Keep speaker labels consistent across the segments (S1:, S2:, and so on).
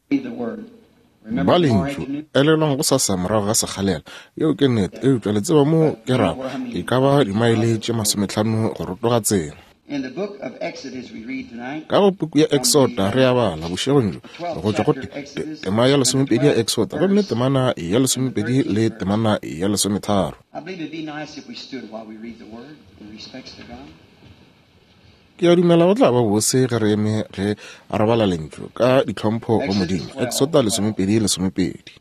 S1: Ba Lentšu, elelwang gosasa morago ga sekgalela. Yeo ke nnete, eupša le tseba moo ke rago, e ka ba dimaele tše masometlhano go rotoga tsela. Ka go puku ya Eksota re a bala bošegong bjo, go tšwa go te, te, tema ya lesomepedi ya Eksota, gomme temana ya lesomepedi le temana ya lesometharo. Ke a dumela go tla ba bose ge re eme ge re bala Lentšu ka ditlhompho go Modimo. Eksota 12, 12.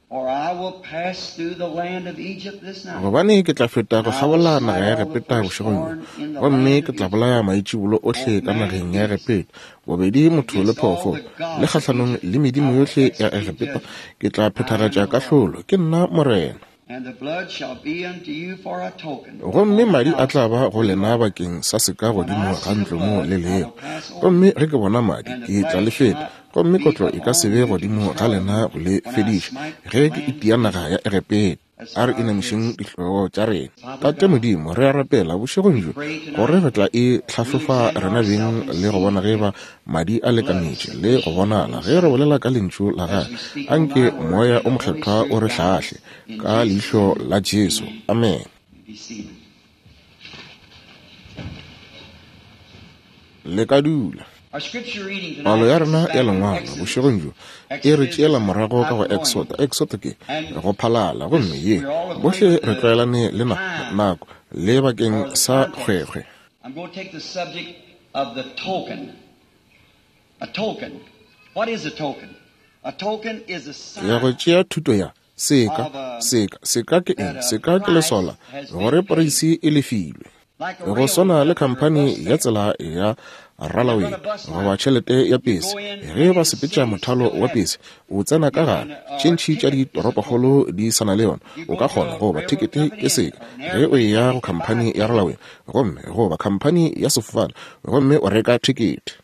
S1: Gobane ke tla feta go kgabola naga ya Egepeta bošegong bjo, gomme ke tla bolaya maitšibolo ohle ka nageng ya Egepeta, bobedi motho le phoofolo, le kgahlanong le medimo yohle ya Egepeta ke tla phethagatša kahlolo. Ke nna Morena. Gomme madi a tla ba go lena bakeng sa seka godimo ga ntlo mo le lego. Gomme ge ke bona madi, ke tla le feta, gomme kotlo e ka se be godimo ga lena go le fediša, ge ke itia naga ya Egepeta. A re inamišeng dihlogo tša rena. Tate Modimo, re a rapela bošegong bjo gore re tla e hlahlofa rena beng le go bona ge ba Madi a lekanetše le go bonala ge re bolela ka Lentšu la Gagwe. Anke Moya o Mokgethwa o re hlahle ka leihlo la Jesu. Amen. Le ka dula. Palo ya rena ya Lengwalo bošegong bjo e re tšeela morago ka go Exoda. Exoda ke go phalala, gomme ye bohle re tlwaelane le nako le bakeng sa kgwekgwe.
S2: Of the token. A token. What is a token? A token is a sign.
S1: Ya go tšea thuto ya seka, seka, seka ke eng? Seka ke leswao gore poreisi e lefilwe. Go swana le khamphani ya tsela ya ralaway goba tšhelete ya pese, ge ba sepetša mothalo wa pese, o tsena ka gare. Tše ntši tša ditoropokgolo di sa na le yona. O ka kgona goba thekete ke seka ge o eya go khamphani ya ralaway gomme goba khamphani ya sefofane gomme o reka thekete.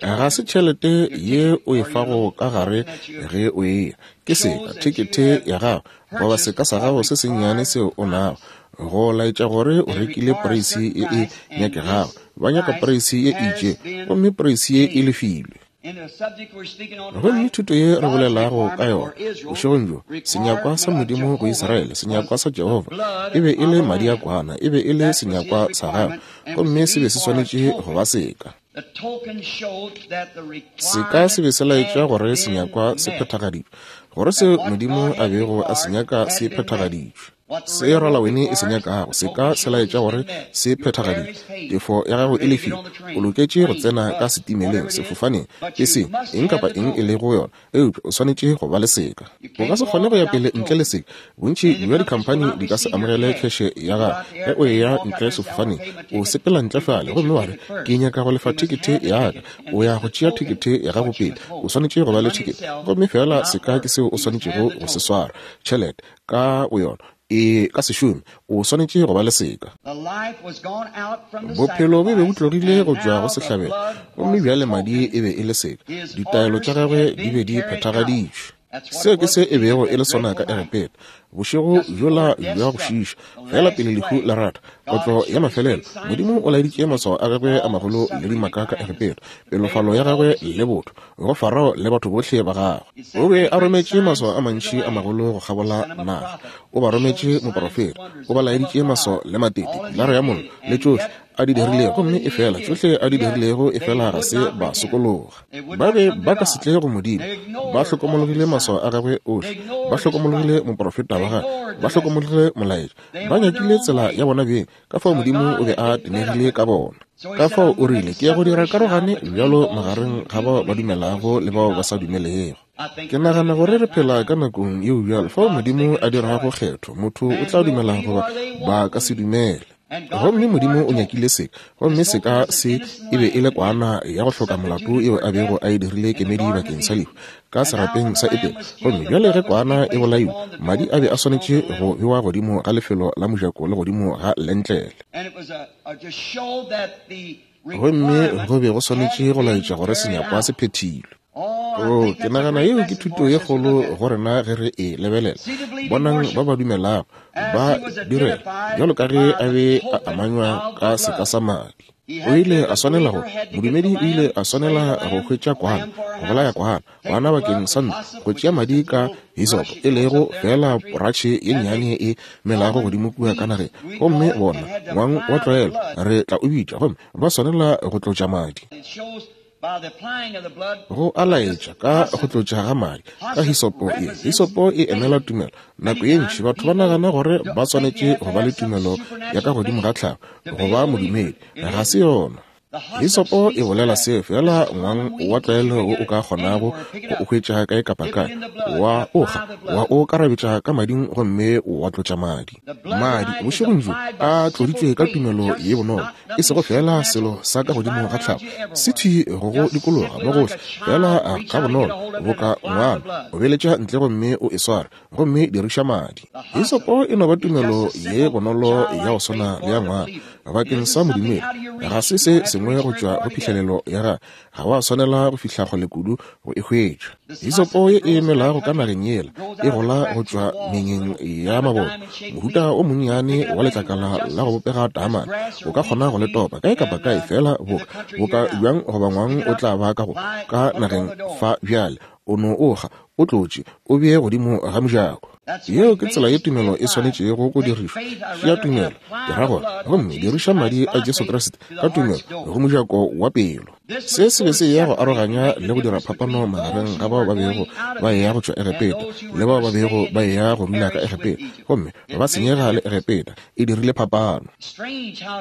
S1: Ga se tšhelete ye o e fago ka gare ge o eya, ke seka, thekete ya gago goba seka sa gago se sennyane seo o nago go laetša gore o rekile poreisi ye e nyakegago. Ba nyaka poreisi ye e itšego gomme poreisi ye e lefilwe. Gomme thuto ye re bolelago ka yona bošegong bjo, senyakwa sa Modimo go Israele, senyakwa sa Jehofa, e be e le madi a kwana, e be e le senyakwa sa gagwe, gomme se be se swanetše go ba seka. Seka se be se laetša gore senyakwa se phethagaditšwe, gore seo Modimo a bego a se nyaka se phethagaditšwe. Se ralawene e se nyakago se ka se laetša gore se phethagaditšwe. Tefo ya gago e lefile. O loketše go tsena ka setimeleng, sefofaneng, peseng, eng kapa eng e lego yona, eupša o swanetše go ba le seka. O ka se kgone go ya pele ntle le seka. Bontši bja dikhamphani di ka se amogele kheše ya gago ge o eya ntle sefofaneng. O sepela ntle fale gomme wa re, Ke nyaka go lefa thekethe ya ka. O ya go tšea thekethe ya gago pele. O swanetše go ba le thekethe. Gomme feela seka ke seo o swanetšego go se swara, tšhelete. Ka boyona e ka se šome, o swanetše go ba le seka. Bophelo bo be bo tlogile go tšwa go sehlabelo, gomme bjale madi e be e le seka. Ditaelo tša gagwe di be di phethagaditšwe. Seo ke se e bego e le sona ka Egepeta bošego bjola bja go šiiša, fela pele lehu la rata kotlo ya mafelelo. Modimo o laeditše maswao a gagwe a magolo le dimaka ka Egepeta, pelofalo ya gagwe le botho go Farao le batho bohle ba gagwe. O be a rometše maswao a mantši a magolo go kgabola naga. O ba rometše moprofeta. O ba laeditše maswao le matete, pilara ya mollo, le tšohle a di dirilego, gomme efela tšohle a di dirilego, efela ga se ba sokologa. Ba be ba ka se tle go Modimo. Ba hlokomologile maswao a gagwe ohle. Ba hlokomologile moprofeta wa gagwe. Ba hlokomologile molaetša. Ba nyakile tsela ya bona beng. Ka fao Modimo o be a tenegile ka bona. Ka fao o rile, Ke ya go dira karogane bjalo magareng ga bao ba dumelago le bao ba sa dumelego. Ke nagana gore re phela ka nakong yeo bjalo fao Modimo a dirago kgetho, motho o tla dumela goba ba ka se dumele. Gomme Modimo o nyakile seka, gomme seka se e be e le kwana ya go hloka molato yeo a bego a e dirile kemedi bakeng sa lehu. ka serapeng sa Edene. Gomme bjale ge kwana e bolaiwe, madi a be a swanetše go bewa godimo ga lefelo la mojako le godimo ga lentlele. Gomme go be go swanetše go laetša gore senyakwa se phethilwe. Oo, ke nagana yeo ke thuto ye kgolo go rena ge re e lebelela. Bonang ba ba dumelago, ba direla, bjalo ka ge a be a amanywa ka seka sa madi. O ile a swanela go, modumedi o ile a swanela go hwetša kwana, go bolaya kwana, kwana bakeng sa ntlo, go tšea madi ka hisopo, e lego feela poratšhe ye nnyane e melago godimo kua ka nageng. Gomme bona, ngwang wa tlwaelo, re tla o bitša, gomme ba swanela go tlotša madi. Go a laetša ka go tlotša ga madi ka hisopo ye. Hisopo e emela tumelo. Nako ye ntši batho ba nagana gore ba swanetše go ba le tumelo ya ka godimo ga tlhago go ba modumedi. Ga se yona. Hisopo e bolela seo feela ngwang wa tlwaelo wo o ka kgonago go o hwetša kae kapa kae, wa o kga, wa o karabetša ka mading gomme wa tlotša madi. Madi bošegong bjo a tloditšwe ka tumelo ye bonolo, e sego feela selo sa ka godimo ga tlhago, se thwi go go dikologa mo gohle, feela ga bonolo boka ngwana o beletša ntle gomme o e sware, gomme diriša madi. Hisopo e no ba tumelo ye bonolo ya go swana le ya ngwana bakeng sa modumedi. Ga se se sengwe go tšwa go phihlelelo ya gagwe, ga wa swanela go fihla kgole kudu go e hwetša. Hisopo ye e melago ka nageng yela e gola go tšwa mengeng ya maboto, mohuta o monnyane wa letlakala la go bopega taamane, o ka kgona go le topa kae kapa kae feela boka, boka bjang goba ngwang o tla ba ka go ka nageng fa bjale, o no o kga, o tlotše, o bee godimo ga mojako. Yeo ke tsela ye tumelo e swanetšego go dirišwa. Tšea tumelo, ke ra gore, gomme diriša Madi a Jesu Kriste ka tumelo go mojako wa pelo. Se se be se eya go aroganya le go dira phapano magareng ga bao ba bego ba eya go tšwa Egepeta le bao ba bego ba eya go dula ka Egepeta gomme ba senyega le Egepeta. E dirile phapano.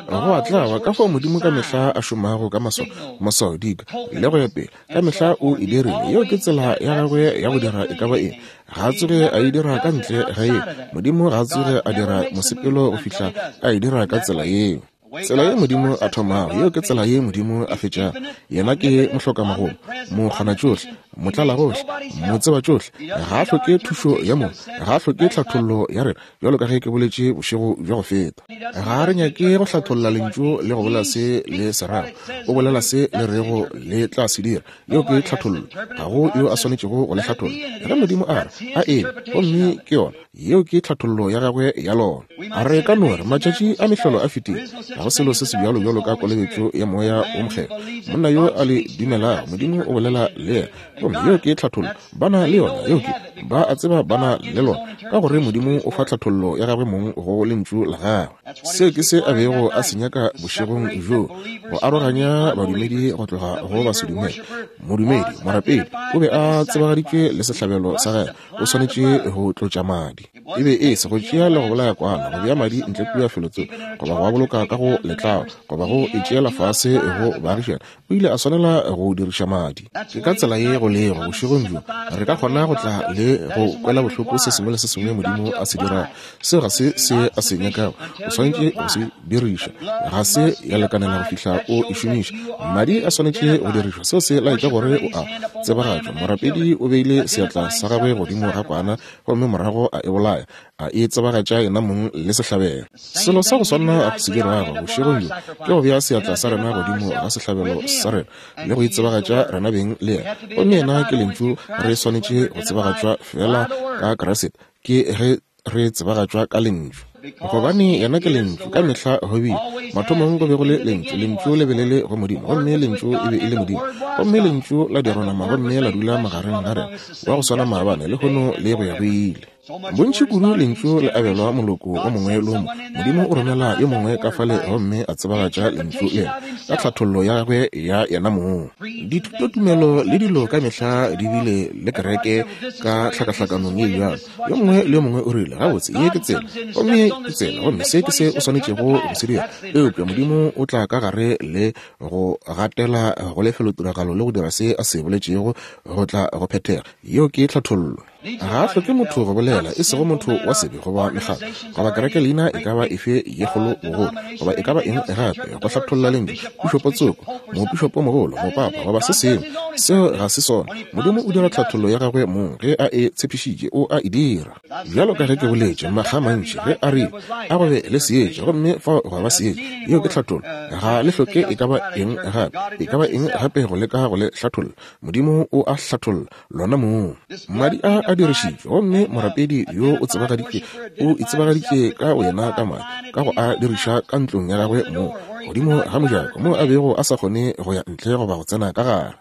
S1: Go a tlaba ka fao Modimo ka mehla a šomago ka maswao, maswao, dika, le go ya pele. Ka mehla o e dirile. Yeo ke tsela ya gagwe ya go dira e ka ba eng. Ga a tsoge a e dira ka ntle ga yeo. Modimo ga a tsoge a dira mosepelo go fihla a e dira ka tsela yeo. Tsela ye Modimo a thomago, yeo ke tsela ye Modimo a fetšago. Yena ke mohlokamagolo, mokgonatšohle, motlalagohle, motsebatšohle. Ga a hloke thušo ya mongwe, ga a hloke tlhathollo ya rena, bjalo ka ge ke boletše bošego bja go feta. Ga re nyake go hlatholla Lentšu le go bolela se le se rago. O bolela se le rego le tla se dira. Yeo ke tlhathollo. Ga go yo a swanetšego go le hlatholla. Ge Modimo a re, a eme, gomme ke yona. Yeo ke tlhathollo ya gagwe ya lona. A re ka no re, Matšatši a mehlolo a fetile. Ga go selo se sebjalo bjalo ka kolobetšo ya Moya wo Mokgethwa. Monna yo a le dumelago, Modimo o bolela le yena. Gomme yeo ke tlhathollo. Ba na le yona. Yeo ke, ba a tseba ba na le lona, ka gore Modimo o fa tlhathollo ya gagwe mong go Lentšu la Gagwe. Seo ke se a bego a se nyaka bošegong bjoo, go aroganya badumedi go tloga go basedumele. Modumedi, morapedi, o be a tsebagaditšwe le sehlabelo sa gagwe. O swanetše go tlotša madi. E be e se go tšea le go bolaya kwana, go bea madi ntle kua felotsoko, goba go a boloka ka go letlao, goba go e tšeela fase go baagišani. O ile a swanela go diriša madi. Ke ka tsela ye go lego bošegong bjo. Re ka kgona go tla le go kwela bohloko se sengwe le se sengwe Modimo a se dirago. Seo ga se se a se nyakago. O swanetše go se diriša. Ga se ya lekanela go fihla o e šomiša. Madi a swanetše go dirišwa. Seo se laetša gore o a tsebagatšwa. Morapedi o beile seatla sa gagwe godimo ga kwana gomme morago a e bolaya, a e tsebagatša yena mong le sehlabelo. Selo sa go swana go se dirago bošegong bjo ke go bea seatla sa rena godimo ga sehlabelo sa rena le go itsebagatša rena beng le yena. Gomme yena ke Lentšu. Re swanetše go tsebagatšwa feela ka Kriste. Ke ge re tsebagatšwa ka Lentšu, gobane Yena ke Lentšu. Ka mehla go bile. Mathomong go be go le Lentšu, Lentšu le be le le go Modimo, gomme Lentšu e be e le Modimo. Gomme Lentšu la dirwa nama gomme la dula magareng ga rena, wa go swana maabane, lehono, le go ya go ile. Bontši kudu Lentšu le abelwa moloko o mongwe le o mongwe. Modimo o romela yo mongwe ka fale gomme a tsebagatša Lentšu le yena ka tlhathollo ya gagwe ya yena mong. Dithutotumelo le dilo ka mehla di bile le kereke ka tlhakahlakanong ye bjalo. Yo mongwe le yo mongwe o rile, Gabotse, ye ke tsela, gomme ye ke tsela, gomme se ke se o swanetšego go se dira. Eupša Modimo o tla ka gare le go gatela go lefelotiragalo le go dira se A se boletšego go tla go phethega. Yeo ke tlhathollo. Ga a hloke motho go bolela, e sego motho wa sebe goba mekgatlo, goba kereke leina e ka ba efe ye kgolo bogolo, goba e ka ba eng gape, go hlatholla Lentšu, pišopo tsoko, mopišopo mogolo, mopapa, goba se sengwe. Seo ga se sona. Modimo o dira tlhathollo ya gagwe mong ge a e tshepišitše, o a e dira. Bjalo ka ge ke boletše makga a mantši, ge a rile, A go be le seetša, gomme fao gwa ba seetša, yeo ke tlhathollo. Ga le hloke e ka ba eng gape, e ka ba eng gape go leka go le hlatholla. Modimo o a hlatholla lona mong. Madi a a dirišitšwe, gomme morapedi yo o tsebagaditše, o itsebagaditše ka boyena ka madi, ka go a diriša ka ntlong ya gagwe mong, godimo ga mojako, moo a bego a sa kgone go ya ntle goba go tsena ka gare.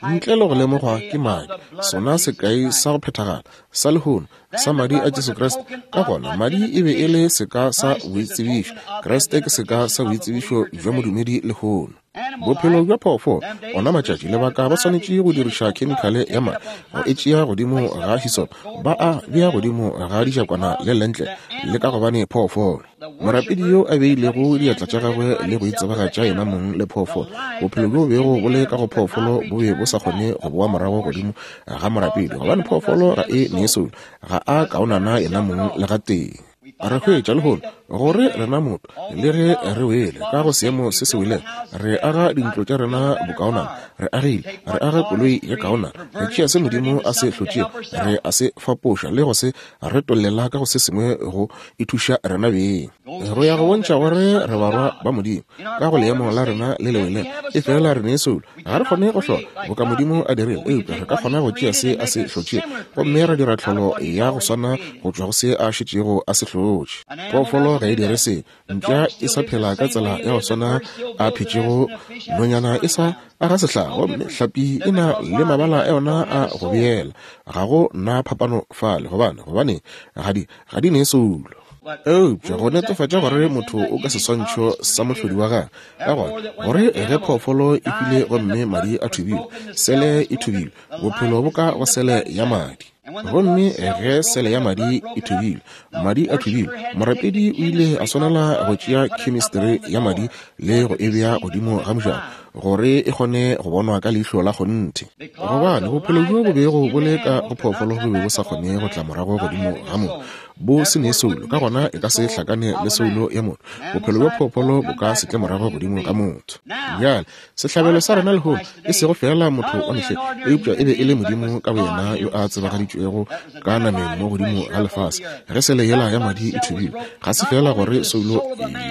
S1: Ntle le go lemogwa ke madi, sona sekai sa go phethagala sa lehono sa madi a Jesu Kriste. Ka gona madi e be e le seka sa boitsebišo. Kriste ke seka sa boitsebišo bja modumedi lehono. Bophelo bja phoofolo, ona matšatši lebaka ba swanetše go diriša khemikhale ya madi go e tšea godimo ga hisop, ba a bea godimo ga dijakwana le lentle le ka gobane phoofolo. Morapedi yo a beilego diatla tša gagwe le go itsebagatša yena mong le phoofolo, bophelo bjo bego bo le ka go phoofolo bo be bo sa kgone go boa morago godimo ga morapedi, gobane phoofolo ga e ne soulo, ga a kaonana yena mong le gatee. Re hwetša lehono gore rena motho, le ge re wele ka go seemo se se welego, re aga dintlo tša rena bokaonana, re agile, re aga koloi ye kaonana, re tšea se Modimo a se hlotšego, re a se fapoša le go se retollela ka go se sengwe go ithuša rena beng. Go ya go bontšha gore re barwa ba Modimo ka go leemo la rena le le welego, efela re ne soulo. Ga re kgone go hlola boka Modimo a dirile, eupša re ka kgona go tšea se a se hlotšego gomme ra dira tlholo ya go swana go tšwa go se a šetšego a se hlotše. Phoofolo ga e dire se. Mpša e sa phela ka tsela ya go swana a phetšego, nonyana e sa aga sehlaga gomme hlapi e na le mabala a yona a go beela. Ga go na phapano fale, gobane, gobane ga di, ga di ne soulo. Eupša go netefatša gore motho o ka seswantšho sa mohlodi wa gagwe, ka gona gore ge phoofolo e hwile gomme madi a thubilwe, sele e thubilwe, bophelo bo ka go sele ya madi. Gomme ge sele ya madi e thubilwe, madi a thubilwe, morapedi o ile a swanela go tšea khemistri ya madi le go e bea godimo ga mojako gore e kgone go bonwa ka leihlo la kgonthe. Gobane bophelo bjo bo bego bo le ka go phoofolo bo be bo sa kgone go tla morago godimo ga motho, bo se ne soulo, ka gona e ka se hlakane le soulo ya motho. Bophelo bja phoofolo bo ka se tle morago godimo ga motho. Bjale, sehlabelo sa rena lehono e sego feela motho wa mehleng, eupša e be e le Modimo ka boyena yo a tsebagaditšwego ka nameng mo godimo ga lefase. Ge sele yela ya madi e thubilwe, ga se feela gore soulo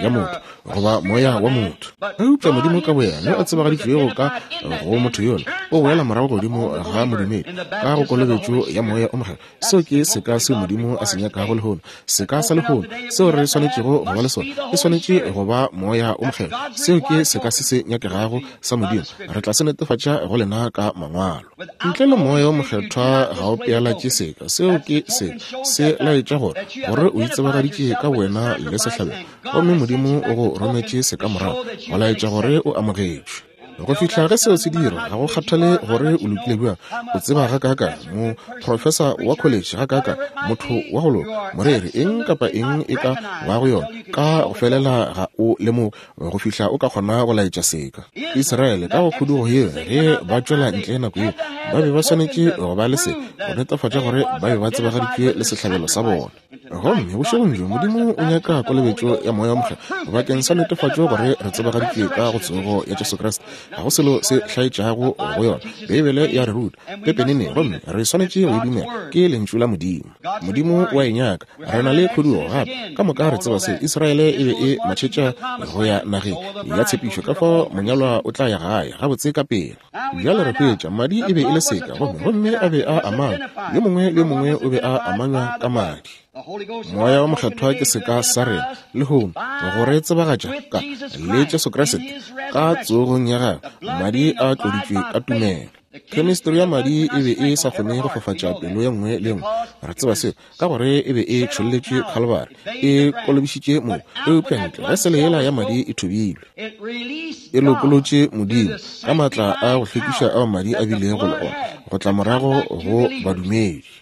S1: ya motho goba moya wa motho, eupša Modimo ka boyena yo a tsebagaditšwego ka go motho yola o boela morago godimo ga modumedi ka go kolobetšo ya Moya o Mokgethwa. Seo ke seka seo Modimo a se nyakago lehono, seka sa lehono seo re swanetšego go ba le sona. E swanetše go ba Moya o Mokgethwa. Seo ke seka se se nyakegago sa Modimo. Re tla se netefatša go lena ka Mangwalo. Ntle le Moya o Mokgethwa ga o pealatše seka. Seo ke seka se laetša gore, gore o itsebagaditše ka bowena le sehlabelo, gomme Modimo o go rometše seka morago go laetša gore o amogetšwe. Go fihla ge seo se dirwa, ga go kgathale gore o lokile bjang, o tseba gakaakang, moprofesa wa kholetšhe gakaakang, motho wa go loka, moreri, eng kapa eng e ka bago yona, ka go felela ga o lemoge go fihla o ka kgona go laetša seka. Israele, ka go khudugo yeo, ge ba tšwela ntle nako yeo, ba be ba swanetše go ba le se, go netefatša gore ba be ba tsebagaditšwe le sehlabelo sa bona. Gomme bošegong bjo Modimo o nyaka kolobetšo ya Moya wo Mokgethwa bakeng sa netefatšo gore re tsebagaditšwe ka go tsogo ya Jesu Kriste. Ga go selo se hlaetšago go yona. Beibele ya re ruta pepenene gomme re swanetše go e dumela. Ke Lentšu la Modimo. Modimo o a e nyaka. Re na le khudugo gape. Ka moka re tseba se. Israele e be e matšhetša go ya nageng ya tshepišo, ka fao monyalwa o tla ya gae gabotse ka pela. Bjale re hwetša, madi e be e le seka, gomme, gomme a be a amanywa, yo mongwe le yo mongwe o be a amanywa ka madi. Moya wa Mokgethwa ke seka sa rena lehono go re tsebagatša ka le Jesu Kriste ka tsogong ya gagwe, madi a tloditšwe ka tumelo. Chemistry ya madi e be e sa kgone go fafatša pelo ye nngwe le ye nngwe. Re tseba seo ka gore e be e tšholletšwe Khalibari, e kolobišitše mo, eupša ntle ge sele yela ya madi e thubilwe, e lokolotše Modimo ka maatla a go hlwekiša ao madi a bilego le ona go tla morago go badumedi.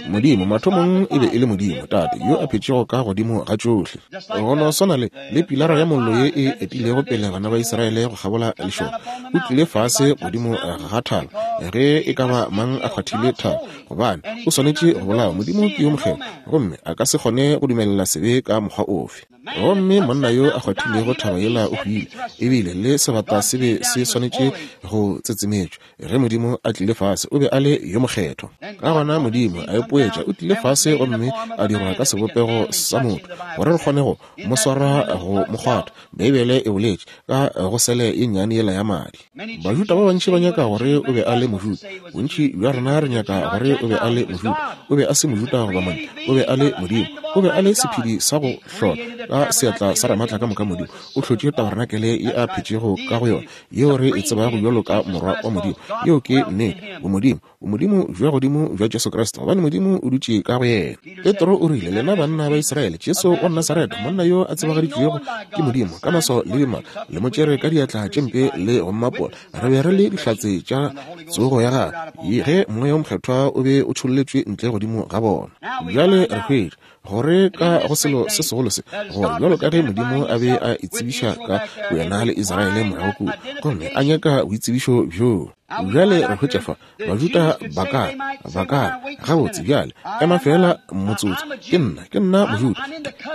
S1: Modimo mathomong e be e le Modimo Tate yo a phetšego ka godimo ga tšohle. Go no swana le, le pilara ya mollo ye e etilego pele bana ba Israele go kgabola lešoka, o tlile fase godimo ga thaba ge e ka ba mang a kgwathile thaba, gobane o swanetše go bolawa. Modimo ke yo mokgethwa gomme a ka se kgone go dumelela sebe ka mokgwa ofe. Gomme monna yo a kgwathilego thaba yela o hwile, ebile le sebata se be se swanetše go tsetsemetšwa. Ge Modimo a tlile fase, o be a le yo mokgethwa. Ka gona Modimo a ipoetša, o tlile fase gomme a dirwa ka sebopego sa motho, gore re kgone go Mo swara, go Mo kgwatha. Beibele e boletše ka go sele ye nnyane yela ya madi. Bajuda ba bantši ba nyaka gore o be a le Mojuda. Bontši bja rena re nyaka gore o be a le Mojuda. O be a se Mojuda goba Montle. O be a le Modimo. O be a le sephedi sa go hlola ka seatla sa Ramaatla ka moka Modimo. O hlotše tabarenakele ye a phetšego ka go yona, yeo re e tsebago bjalo ka Morwa wa Modimo. Yeo ke nnete. Bomodimo. Bomodimo bja godimo bja Jesu Kriste, gobane Modimo o dutše ka go yena. Petro o rile, Lena banna ba Israele, Jesu wa Nasaretha, monna yo a tsebagaditšwego ke Modimo ka maswao le dimaka, le mo tšere ka diatla tše mpe le go mmapola. Re be re le dihlatse tša tsogo ya gagwe, ge Moya wo Mokgethwa o be o tšholletšwe ntle godimo ga bona. Bjale re hwetša gore ka go selo se segolo se, gore bjalo ka ge Modimo a be a itsebiša ka boyena le Israele morago kua, gomme a nyaka boitsebišo bjoo. Bjale re hwetša fa, Bajuda ba ka re, ba ka re, Gabotse, bjale, ema feela motsotso. Ke nna, ke nna Mojuda.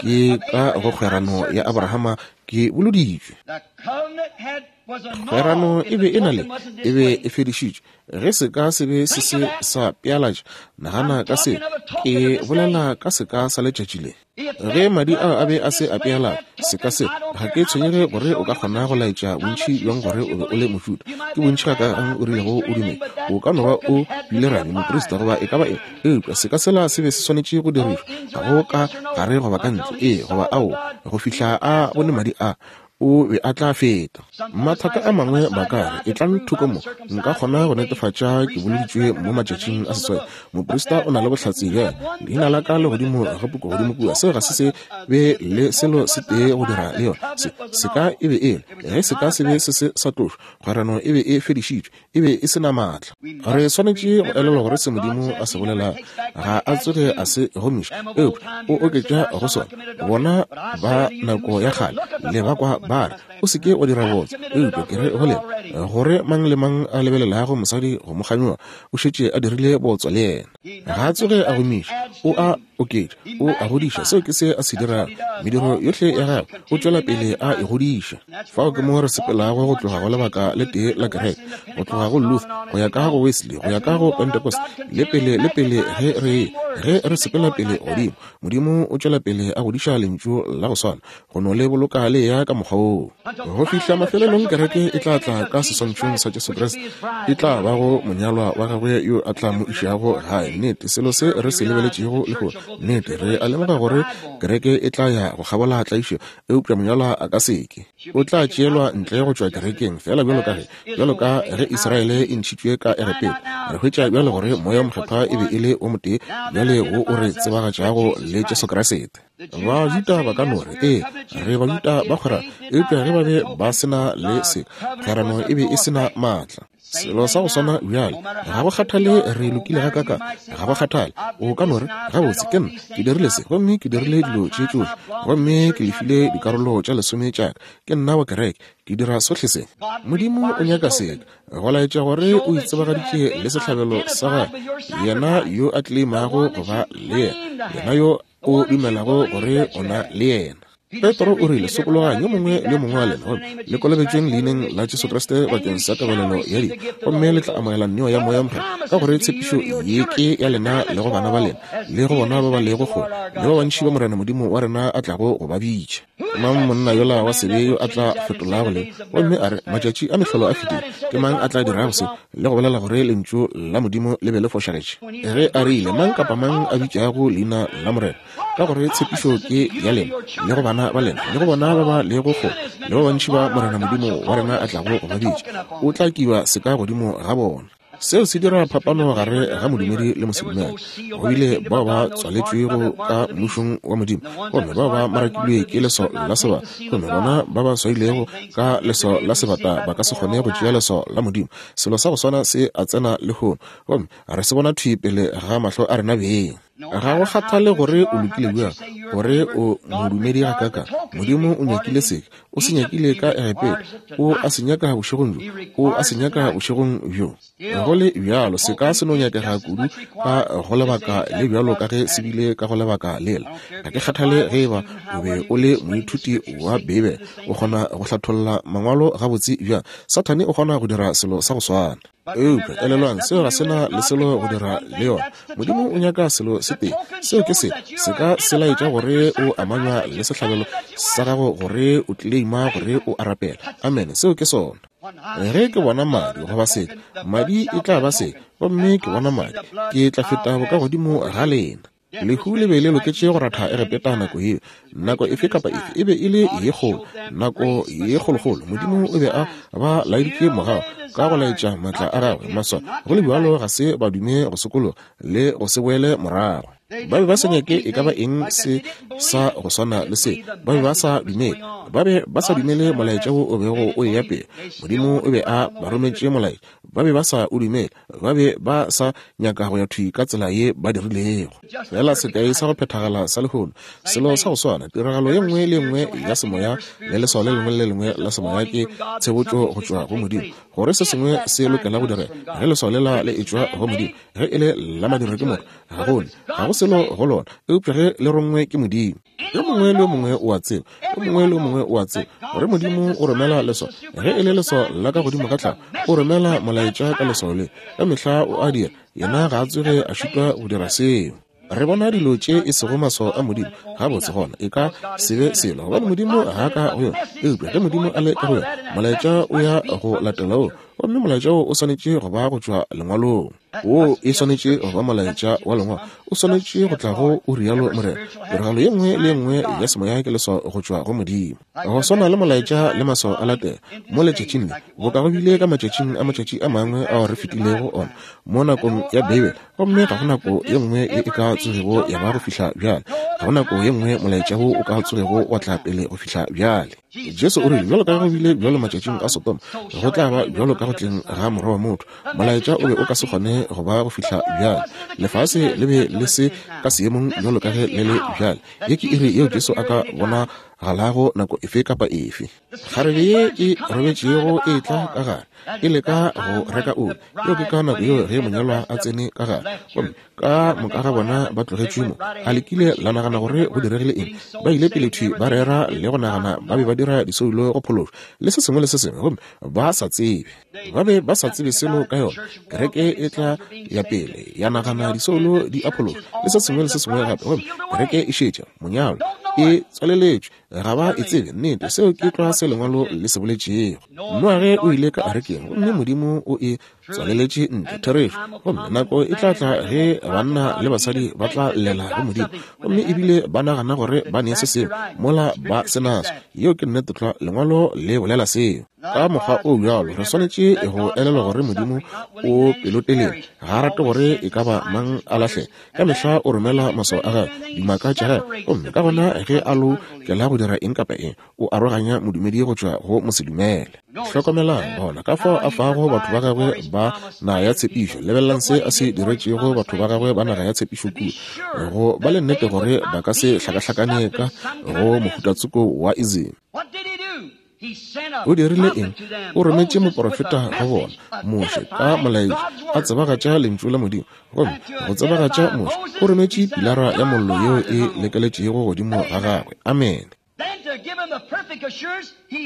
S1: Ke ka go kgwerano ya Abrahama ke boloditšwe. Kgwerano e be e na le, e be e fedišitšwe. Ge seka se be se se sa pealatša, nagana ka se, ke bolela ka seka sa letšatši le. Ge madi ao a be a se a pealatša, seka se, ga ke tshwenyege gore o ka kgona go laetša bontši bjang gore o be o le Mojuda, ke bontši gakaakang o rilego o dumela, o ka no ba o bile rabi, moprista, goba e ka ba eng, eupša seka sela se be se swanetše go dirišwa, ga go ka gare goba ka ntle, ee goba aowa, go fihla a bone madi a. O be a tla feta. Mathata a mangwe ba ka re, Etlang thoko mo, nka kgona go netefatša ke boloditšwe mo matšatšing a seswai. Moprista o na le bohlatse bjale. Leina la ka le godimo ga puku godimo kua. Seo ga se se be le selo se tee go dira le yona. Se, seka e be e le. Ge seka se be se se sa tlošwa, kgwerano e be e fedišitšwe. E be e se na maatla. Re swanetše go elelwa gore se Modimo a se bolela ga a tsoge a se gomiša, eupša o oketša go sona. Bona ba nako ya kgale le ba kwa ba re, O se ke wa dira bootswa. Eupša ke re go lena, gore mang le mang a lebelelago mosadi go mo kganyoga, o šetše a dirile bootswa le yena. Ga a tsoge a gomiša, o a oketša, o a godiša. Seo ke se a se dirago. Mediro yohle ya gagwe, o tšwela pele a e godiša. Fao ke mo re sepelago go tloga go lebaka le tee la kereke, go tloga go Luther, go ya ka go Wesley, go ya ka go Pentecost, le pele le pele ge re ge re sepela pele godimo. Modimo o tšwela pele a godiša Lentšu la go swana, go no le boloka le ya ka mokgwa woo. Go fihla mafelelong kereke e tla tla ka seswantšhong sa Jesu Kriste, e tla ba go monyalwa wa gagwe yo a tla mo išago gae. Nnete, selo se re se lebeletšego lehono. Nnete, re a lemoga gore kereke e tla ya go kgabola tlaišo, eupša monyalwa a ka se ke. O tla tšeelwa ntle go tšwa kerekeng, feela bjalo ka ge, bjalo ka ge Israele e ntšhitšwe ka Egepeta. Re hwetša bjale gore Moya wo Mokgethwa e be e le o motee bjale wo o re tsebagatšago le Jesu Kriste. Bajuda ba ka no re, Ee, re Bajuda ba kgwerano. Eupša ge ba be ba se na le se, kgwerano e be e se na maatla. Selo sa go swana bjale, ga go kgathale re lokile gakaakang, ga go kgathale. O ka no re, Gabotse, ke nna, ke dirile se, gomme ke dirile dilo tše tšohle, gomme ke lefile dikarolo tša lesome tša ka. Ke nna wa kereke. Ke dira sohle se. Modimo o nyaka seka, go laetša gore o itsebagaditše le sehlabelo sa gagwe, yena yo a tleimago go ba le yena, yena yo o dumelago gore o na le yena. Petro o rile, Sokologang, yo mongwe le yo mongwe wa lena, gomme le kolobetšweng leineng la Jesu Kriste bakeng sa tebalelo ya dibe, gomme le tla amogela neo ya Moya Mokgethwa, ka gore tshepišo ye ke ya lena le go bana ba lena, le go bona ba ba lego kgole, le ba bantši ba Morena Modimo wa rena a tlago go ba bitša. Mang monna yola wa sebe yo a tla fetolago le, gomme a re, Matšatši a mehlolo a fetile, ke mang a tla dirago se, le go bolela gore Lentšu la Modimo le be le fošagetše? Ge a rile, Mang kapa mang a bitšago leina la Morena, ka gore tshepišo ke ya lena, le go bana ba lena, le go bona ba ba lego kgole, le ba bantši ba Morena Modimo wa rena a tlago go ba bitša, o tla kiba seka godimo ga bona. Seo se dira phapano gare ga modumedi le mosedumele. Go bile bao ba tswaletšwego ka mmušong wa Modimo, gomme bao ba marakilwe ke leso la sebata, gomme bona ba ba swailego ka leso la sebata ba ka se kgone go tšea leso la Modimo. Selo sa go swana se a tsena lehono, gomme re se bona thwi pele ga mahlo a rena beng. Ga go kgathale gore o lokile bjang, gore o modumedi gakaakang, Modimo o nyakile seka. O se nyakile ka Egepeta, O a se nyaka bošegong bjo, O a se nyaka bošegong bjo. Go le bjalo, seka se no nyakega kudu ka go lebaka le bjalo ka ge se bile ka go lebaka lela. Ga ke kgathale ge eba o be o le moithuti wa Beibele, o kgona go hlatholla Mangwalo gabotse bjang, Sathane o kgona go dira selo sa go swana. Eupša elelwang, seo ga se na le selo go dira le yona. Modimo o nyaka selo se tee, seo ke se, seka se laetša gore o amanywa le sehlabelo sa gago, gore o tleleima gore o a rapela. Amene, seo ke sona. Ge ke bona madi goba seka, madi e tla ba seka, gomme ke bona madi, ke tla feta bokagodimo ga lena. Lehu le be le loketše go ratha Egepeta nako yeo. Nako efe kapa efe e be e le ye kgolo, nako ye kgolokgolo. Modimo o be a ba laeditše mogau ka go laetša maatla a gagwe maswa. Go le bjalo ga se ba dume go sokologa le go se boele morago. Ba be ba sa nyake e ka ba eng se sa go swana le se. Ba be ba sa dumele. Ba be ba sa dumele molaetša wo o bego o eya pele. Modimo o be a ba rometše molaetša. Ba be ba sa o dumele. Ba be ba sa nyaka go ya thwi ka tsela ye ba dirilego. Fela sekai sa go phethagala sa lehono, selo sa go swana, tiragalo ye nngwe le ye nngwe ya semoya le leswao le lengwe le le lengwe la semoya ke tshebotšo go tšwa go Modimo, gore se sengwe se lokela go direga. Ge leswao lela le etšwa go Modimo, ge e le la madirwa ke motho, ga go ne, ga go selo go lona, eupša ge le rongwe ke Modimo. Yo mongwe le yo mongwe o a tseba, yo mongwe le yo mongwe o a tseba gore Modimo o romela leswao. Ge e le leswao la ka godimo ga tlhago, o romela molaetša ka leswao le. Ka mehla o a dira. Yena ga a tsoge a šitwa go dira seo. Re bona dilo tše e sego maswao a Modimo, gabotse gona e ka se be selo, gobane Modimo ga a ka go yona. Eupša ge Modimo a le ka go yona, molaetša o ya go latela wo, gomme molaetša wo o swanetše go ba go tšwa Lengwalong. Wo e swanetše go ba molaetša wa Lengwalo. O swanetše go tla go o rialo Morena. Tiragalo ye nngwe le ye nngwe ya semoya ke leswao go tšwa go Modimo. Go swana le molaetša le maswao a latela mo letšatšing le, boka go bile ka matšatšing a matšatši a mangwe ao re fetilego ona mo nakong ya Beibele, gomme ga go nako ye nngwe ye e ka tsogego ya ba go fihla bjale. Ga go nako ye nngwe molaetša wo o ka tsogego wa tla pele go fihla bjale. Jesu o rile, Bjalo ka ge go bile bjalo matšatšing a Sodoma, go tla ba bjalo ka go tleng ga Morwa wa motho. Molaetša o be o ka se kgone go ba go fihla bjale. Lefase le be le se ka seemong bjalo ka ge le le bjale. Ye ke iri yeo Jesu a ka bonagalago nako efe kapa efe. Kgarebe ye e robetšego e tla ka gare, e leka go reka oli. Yeo ke ka nako yeo ge monyalwa a tsene ka gare. Gomme ka moka ga bona ba tlogetšwe mo. A le kile la nagana gore go diregile eng? Ba ile pele thwi ba rera le go nagana ba be ba dira disoulo go phološwa le se sengwe le se sengwe, gomme ba sa tsebe. Ba be ba sa tsebe selo ka yona. Kereke e tla ya pele ya nagana disoulo di a phološwa le se sengwe le se sengwe gape, gomme kereke e šetše monyalwa e tswaleletšwe. Ga ba e tsebe. Nnete, seo ke tlwa se Lengwalo le se boletšego. Noage o ile ka arekeng, gomme Modimo o e tswaleletše ntle. Therešo. Gomme nako e tla tla ge banna le basadi ba tla llela go Modimo, gomme ebile ba nagana gore ba ne se sengwe mola ba se naso. Yeo ke nnete tlwa. Lengwalo le bolela seo. Ka mokgwa o bjalo re swanetše go elelwa gore Modimo o pelotelele, ga a rate gore e ka ba mang a lahlege. Ka mehla o romela maswao a gagwe, dimaka tša gagwe, gomme ka gona ge a lokela go dira eng kapa eng, o aroganya modumedi go tšwa go mosedumele. Hlokomelang gona ka fao a fago batho ba gagwe ba naga ya tshepišo. Lebelelang se a se diretšego batho ba gagwe ba naga ya tshepišo kua, go ba le nnete gore ba ka se hlakahlakane ka go mohutatsoko wa ism. O dirile eng? O rometše moprofeta go bona, Moshe, ka molaetša, a tsebagatša Lentšu la Modimo. Gomme go tsebagatša Moshe, o rometše pilara ya mollo yeo e lekeletšego godimo ga gagwe. Amene.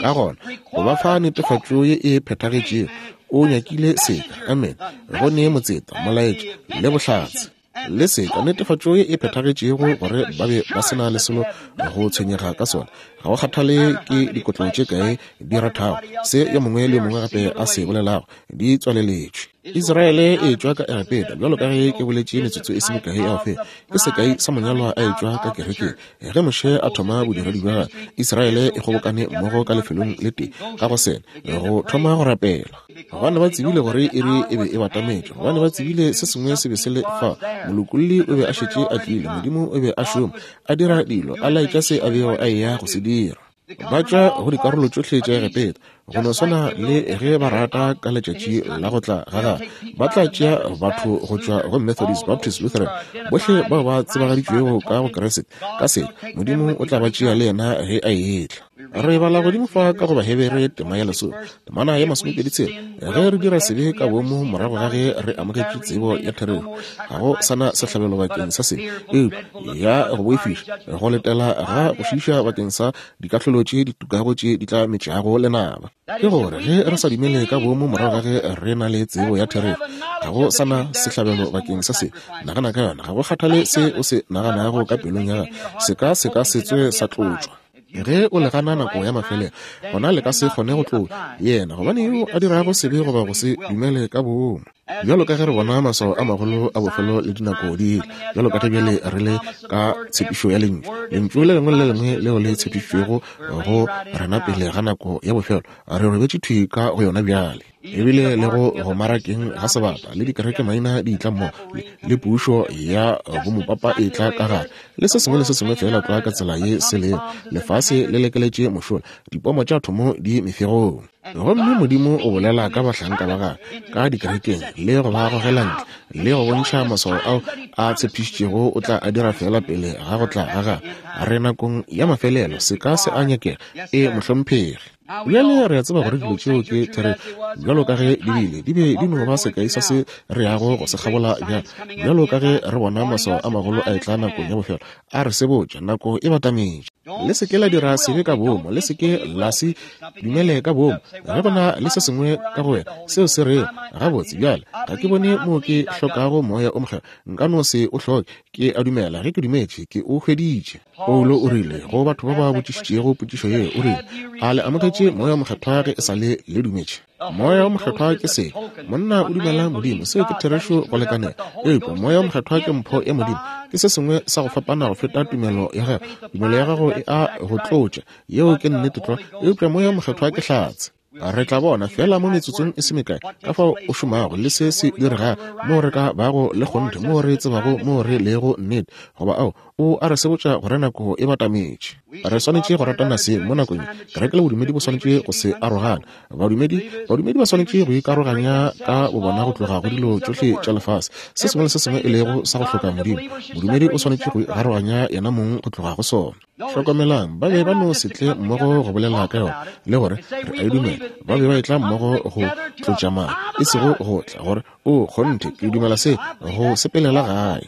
S1: Ka gona, go ba fa netefatšo ye e phethagetšego, o nyakile seka, amene, go ne motseta, molaetša, le bohlatse. Le seka, netefatšo ye e phethagetšego gore ba be ba se na le selo go tshwenyega ka sona. Ga go kgathale ke dikotlo tše kae di rathago, se yo mongwe le yo mongwe gape a se bolelago, di tswaleletšwe. Israele e etšwa ka Egepeta, bjalo ka ge ke boletše metsotso e se mekae ya go feta, ke sekai sa monyalwa a etšwa ka kerekeng. Ge Moshe a thoma bodiredi bja gagwe, Israele e kgobokane mmogo ka lefelong le tee ka go sele go thoma go rapela. Gobane ba tsebile gore iri e be e batametše, gobane ba tsebile se sengwe se be se le fa. Molokolli o be a šetše a tlile, Modimo o be a šoma, a dira dilo, a laetša se a bego a eya go se dira. Ba tšwa go dikarolo tšohle tša Egepeta, go no swana le ge ba rata ka letšatši la go tla ga gagwe. Ba tla tšea batho go tšwa go Methodist, Baptist, Lutheran, bohle bao ba tsebagaditšwego ka go Kriste, ka se, Modimo o tla ba tšea le yena ge a etla. Re bala godimo fa ka go Bahebere tema ya lesome, temana ya 26, ge re dira sebe ka boomo morago ga ge re amogetše tsebo ya therešo, ga go sa na sehlabelo bakeng sa sebe, eupša ya go boifiša, go letela ga go šiiša bakeng sa dikahlolo tše di tukago tše di tla metšago lenaba. Ke gore ge re sa dumele ka boomo morago ga ge re na le tsebo ya therešo, ga go sa na sehlabelo bakeng sa sebe. Nagana ka yona, ga go kgathale se o se naganago ka pelong ya gago, se ka se ka se tsoge sa tlotšwa. Ge o le gana nako ya mafelelo, gona le ka se kgone go tlotšwa yena, gobane yo a dirago sebe goba go se dumele ka boomo. Bjalo ka ge re bona maswao a magolo a bofelo le dinako di etla, bjalo ka ge bjale re le ka tshepišo ya Lentšu, Lentšu le lengwe le le lengwe leo le tshepišitšwego go rena pele ga nako ya bofelo, re robetše thwi ka go yona bjale. Ebile le go go marakeng ga sebata le dikereke maina di tla mmogo, le, le pušo ya bomopapa e tla ka gare, le se sengwe le se sengwe feela tlwa ka tsela ye se lego. Lefase le lekeletše mošola, dipomo tša thomo di mefegong. Gomme Modimo o bolela ka bahlanka ba gagwe ka dikerekeng le go ba gogela ntle le go bontšha maswao ao a tshepišitšego o tla a dira feela pele ga go tla ga gagwe. Re nakong ya mafelelo, se ka se a nyakega. E, mohlomphegi. Bjale re a tseba gore dilo tšeo ke therešo, bjalo ka ge di bile, di be di no ba sekai sa se re yago go se kgabola bjale. Bjalo ka ge re bona maswao a magolo a etla nakong ya bofelo, a re sebotša, nako e batametše. Le se ke la dira sebe ka boomo, le se ke la se dumele ka boomo. Ge go na le se sengwe ka go wena seo se rego, Gabotse, bjale, ga ke bone moo ke hlokago Moya o Mokgethwa, nka no se o hloke. Ke a dumela ge ke dumetše, ke o hweditše. Paulo o rile go batho ba ba botšišitšego potšišo ye, o rile, A le amogetše Moya o Mokgethwa ge e sa le le dumetše? Moya wo Mokgethwa ke se. Monna o dumela Modimo, seo ke therešo go lekanela. Eupša Moya wo Mokgethwa ke mpho ya Modimo. Ke se sengwe sa go fapana go feta tumelo ya gago. Tumelo ya gago e a go tlotša, yeo ke nnete tlwa, eupša Moya wo Mokgethwa ke hlatse. Re tla bona feela mo metsotsong e se mekae ka fao o šomago le se se diregago, moo re ka bago le kgonthe, moo re tsebago moo re lego nnete, goba ao, o a re sebotša gore nako e batametše. Re swanetše go ratana seng mo nakong ye. Kereke le bodumedi bo swanetše go se arogana. Badumedi, badumedi ba swanetše go ikaroganya ka bobona go tloga go dilo tšohle tša lefase, se sengwe le se sengwe e lego sa go hloka Modimo. Modumedi o swanetše go ikaroganya yena mong go tloga go sona. Hlokomelang, ba be ba no se tle mmogo go bolela ka yona le gore re a e dumela. Ba be ba etla mmogo go tlotša madi, e sego go tla gore, O, kgonthe, ke dumela se, go sepelela gae.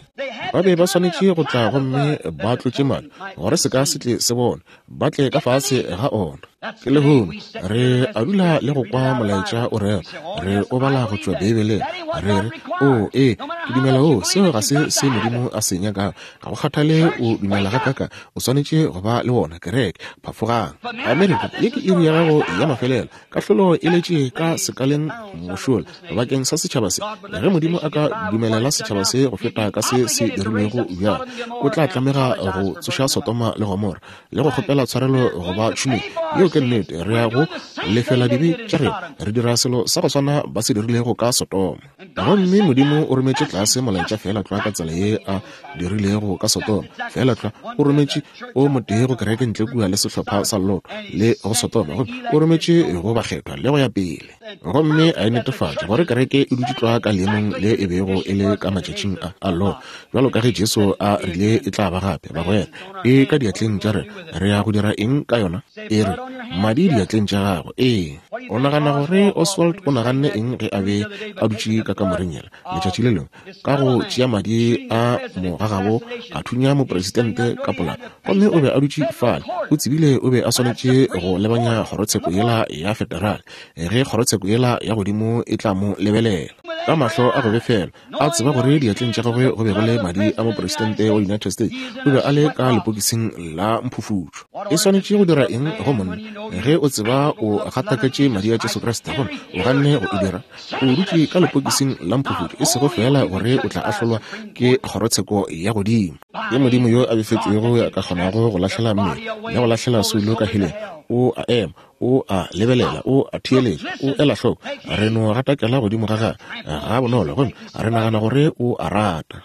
S1: Ba be ba swanetše go tla gomme ba tlotše madi, gore se ka se tle se bonwe, ba tle ka fase ga ona. Ke lehono re a dula le go kwa molaetša o rera, re o bala go tšwa Beibeleng, re re, O, ee, ke dumela o, seo ga se se Modimo a se nyakago. Ga go kgathale o dumela gakaka, o swanetše go ba le wona, kereke. Phafogang. Amerika, ye ke iri ya gago ya mafelelo. Kahlolo e letše ka sekaleng mošola bakeng sa setšhaba se. Ge Modimo a ka dumelela setšhaba se go feta ka se se dirilwego bjale, o tla tlamega go tsoša Sodoma le Gomora. le go kgopela tshwarelo go ba tšhomeng. Yeo ke nnete. Re ya go lefela dibe tša rena. Re dira selo sa go swana ba se dirilego ka Sodoma. Gomme Modimo o rometše tlase molaetša feela tlwa ka tsela ye a dirilego ka Sodoma. Feela tlwa o rometše o motee go kereke ntle kua le sehlopha sa Loto le go Sodoma, gomme o rometše go bakgethwa le go ya pele. Gomme a e netefatša gore kereke e dutše tlwa ka leemong le e bego e le ka matšatšing a, a Loto, bjalo ka ge Jesu a rile e tla ba gape. Bagwera, e ka diatleng tša rena. Re ya go dira eng ka yona? E re, Madi diatleng tša gago. Ee. O nagana gore Oswald o naganne eng ge a be a dutše ka kamoreng yela letšatši le lengwe, ka go tšea madi a mogagabo a thunya mopresidente ka polao? Gomme o be a dutše fale, o tsebile o be a swanetše go lebanya kgorotsheko yela ya federale, ge kgorotsheko yela ya godimo e tla mo lebelela ka mahlo a go befelwa. A tseba gore diatleng tša gagwe go be go le madi a mopresidente wa United States, o be a le ka lepokising la mphufutšo. E swanetše go dira eng go monna ge o tseba o gataketše madi a Jesu Kriste gomme o ganne go e dira? O dutše ka lepokising la mphufutšo, e sego feela gore o tla ahlolwa ke kgorotsheko ya godimo. Ke Modimo yo a befetšwego yo a ka kgonago go lahlela mmele le go lahlela soulo ka heleng. O a ema, o a lebelela, o a theeletša, o ela hloko. Re no gatakela godimo ga gagwe ga bonolo gomme re nagana gore o a rata.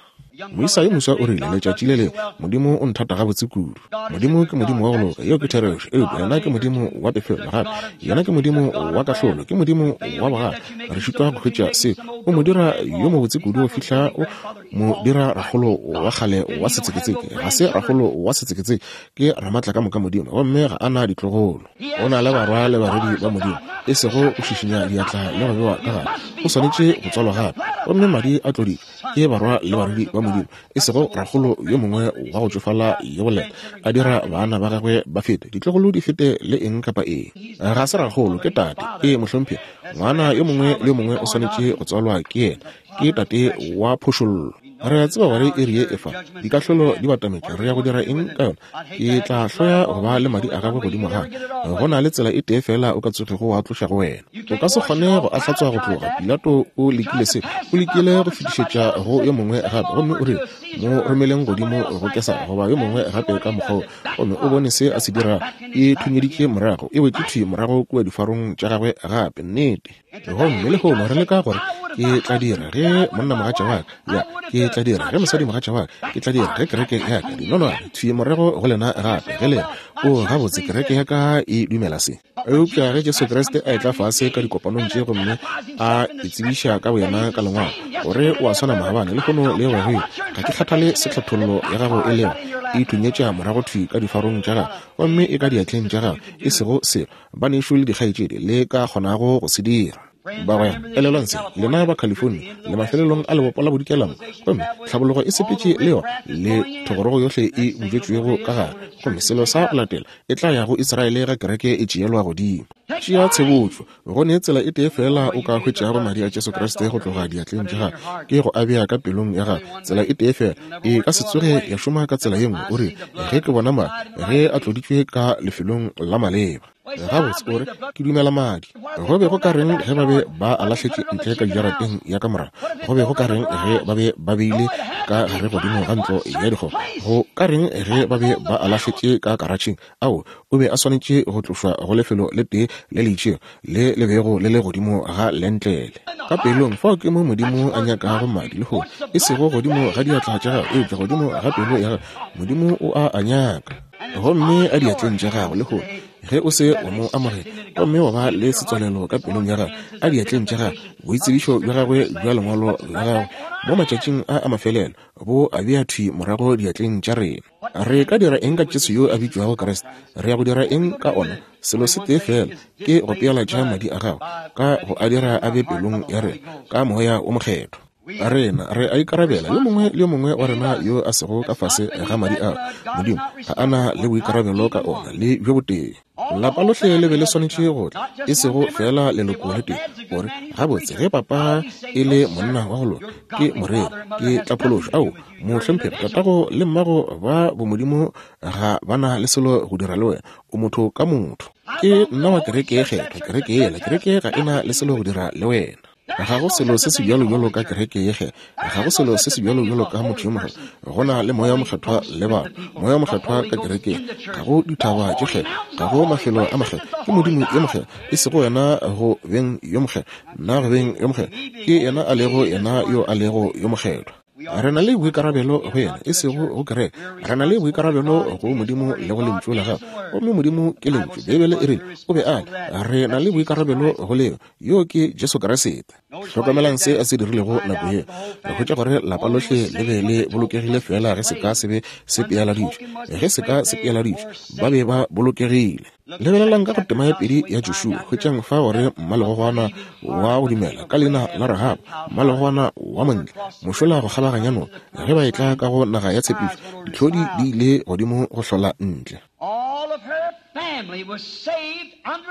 S1: Moisa yo moswa o rile, letšatši le lengwe, Modimo o nthata gabotse kudu. Modimo ke Modimo wa go loka, yeo ke therešo. Eupša Yena ke Modimo wa pefelo gape. Yena ke Modimo wa kahlolo. Ke Modimo wa bogale. Re šitwa go hwetša seo. O mo dira yo mobotse kudu go fihla o mo dira rakgolo wa kgale wa setseketseke. Ga se rakgolo wa setseketseke, ke Ramatlakamoka Modimo, gomme ga a na ditlogolo. O na le barwa le barwedi ba Modimo, e sego go šišinya diatla le go bewa ka gare. O swanetše go tswalwa gape, gomme madi a tloditšwe ke barwa le barwedi ba Modimo, e sego rakgolo yo mongwe wa go tšofala yo boleta a dira bana ba gagwe ba fete, ditlogolo di fete le eng kapa eng. Ga se rakgolo, ke tate. Ee, mohlomphegi. Ngwana yo mongwe le yo mongwe o swanetše go tswalwa ke yena. Ke tate wa phošollo. Re a tseba gore iri ye e fa, dikahlolo di batametše. Re ya go dira eng ka yona? Ke tla hloya go ba le madi a gagwe godimo ga ka. Go na le tsela e tee feela o ka tsogego wa tloša go wena. O ka se kgone go a hlatswa go tloga. Pilato o lekile se. O lekile go fetišetša go yo mongwe gape, gomme o rile, Mo romeleng godimo go Kesara, goba yo mongwe gape ka mokgwa wo. Gomme o bone se a se dirago. E thunyeditše morago, e wetše thwi morago kua difarong tša gagwe gape. Nnete. Gomme lehono re leka gore, Ke tla dira ge monnamogatša wa ka, ya, ke tla dira ge mosadimogatša wa ka, ke tla dira ge kereke ya ka, dinonwane thwi morago go lena gape, ge le re, O, gabotse, kereke ya ka e dumela se. Eupša ge Jesu Kriste a etla fase ka dikopanong tše gomme a itsebiša ka boyena ka Lengwalo, gore o a swana maabane, lehono le go ya go ile, ga ke kgathale se tlhathollo ya gago e lego, e thunyetša morago thwi ka difarong tša gago, gomme e ka diatleng tša gago, e sego selo banešu le dikgaetšedi le ka kgonago go se dira. Bagwera, elelwang se, lena ba California, le mafelelong a lebopo la bodikela mo, gomme tlhabologo e sepetše le yona, le thogorogo yohle e butšwetšwego ka gare, gomme selo sa go latela e tla ya go Israele ge kereke e tšeelwa godimo. Tšea tshebotšo. Go ne tsela e tee feela o ka hwetšago Madi a Jesu Kriste go tloga diatleng tša gago, ke go a bea ka pelong ya gago. Tsela e tee feela. E ka se tsoge ya šoma ka tsela ye nngwe. O re, Ge ke bona madi, ge a tloditšwe ka lefelong la maleba. Gabotse, o re, Ke dumela madi. Go be go ka reng ge ba be ba a lahletše ntle ka jarateng ya ka morago? Go be go ka reng ge ba be ba beile ka gare godimo ga ntlo ya dikgomo? Go ka reng ge ba be ba a lahletše ka karatšheng? Ao, o be a swanetše go tlošwa go lefelo le tee le le itšego le le bego le le godimo ga lentlele. Ka pelong, fao ke mo Modimo a nyakago madi lehono, e sego godimo ga diatla tša gago, eupša godimo ga pelo ya gago. Modimo o a a nyaka. Gomme a diatleng tša gago lehono, ge o se wa mo amogela gomme wa ba le setswalelo ka pelong ya gago, a diatleng tša gago, boitsebišo bja gagwe bja lengwalo la gagwe mo matšatšing a a mafelelo bo a bea thwi morago diatleng tša rena. Re ka dira eng ka Jesu yo a bitšwago Kriste? Re ya go dira eng ka ona? Selo se tee feela, ke go pealatša madi a gagwe, ka go a dira a be pelong ya rena, ka Moya wo Mokgethwa. Rena re a ikarabela, yo mongwe le yo mongwe wa rena yo a sego ka fase ga madi ao, Modimo ga a na le boikarabelo ka ona le bjo botee. Lapa lohle le be le swanetše go tla, e sego feela leloko le tee. O re, Gabotse, ge papa e le monna wa go loka, ke moreri, ke tla phološwa. Ao, mohlomphegi, tatago le mmago ba bomodimo ga ba na le selo go dira le wena. O motho ka motho. Ke nna wa kereke ye kgethwa, kereke yela, kereke ga e na le selo go dira le wena. Ga go selo se sebjalo bjalo ka kereke ye kgethwa. Ga go selo se sebjalo bjalo ka motho yo mogolo. Go na le Moya wo Mokgethwa le batho. Moya wo Mokgethwa ka kerekeng. Ga go dithaba tše kgethwa. Ga go mafelo a makgethwa. Ke Modimo yo mokgethwa. E sego wena go beng yo mokgethwa, nna go beng yo mokgethwa. Ke Yena a lego Yena yo a lego yo mokgethwa. Re na le boikarabelo go Yena, e sego go kereke. Re na le boikarabelo go Modimo le go Lentšu la Gagwe. Gomme Modimo ke Lentšu. Beibele e rile O be a le. Re na le boikarabelo go leo. Yo ke Jesu Kriste. Hlokamelang se a se dirilego nako ye. Re hwetša gore lapa lohle le be le bolokegile feela ge seka se be se pealaditšwe. Ge seka se pealaditšwe, ba be ba bolokegile. Lebelelang ka go tema ya pedi ya Joshua, hwetšang fa gore mmalegogwana wa go dumela ka leina la Rahaba, mmalegogwana wa montle, mošola go kgabaganya noka, ge ba etla ka go naga ya tshepišo, ditlhodi di ile godimo go hlola ntle.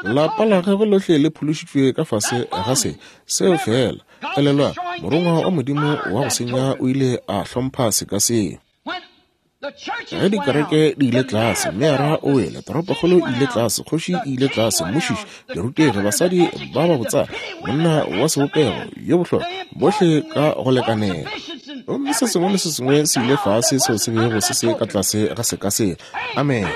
S1: Lapa la gagwe lohle le phološitšwe ka fase ga se seo feela. Elelwang, morongwa wa Modimo wa go senya o ile a hlompha seka seo. Ge dikereke di ile tlase, meara o wele, toropokgolo e ile tlase, kgoši e ile tlase, mmušiši, dirutegi, basadi ba ba botsana, monna wa sebopego yo bohlokwa, bohle ka go lekanela. Gomme se sengwe le se sengwe se ile fase seo se bego se se ka tlase ga seka sela. Amen.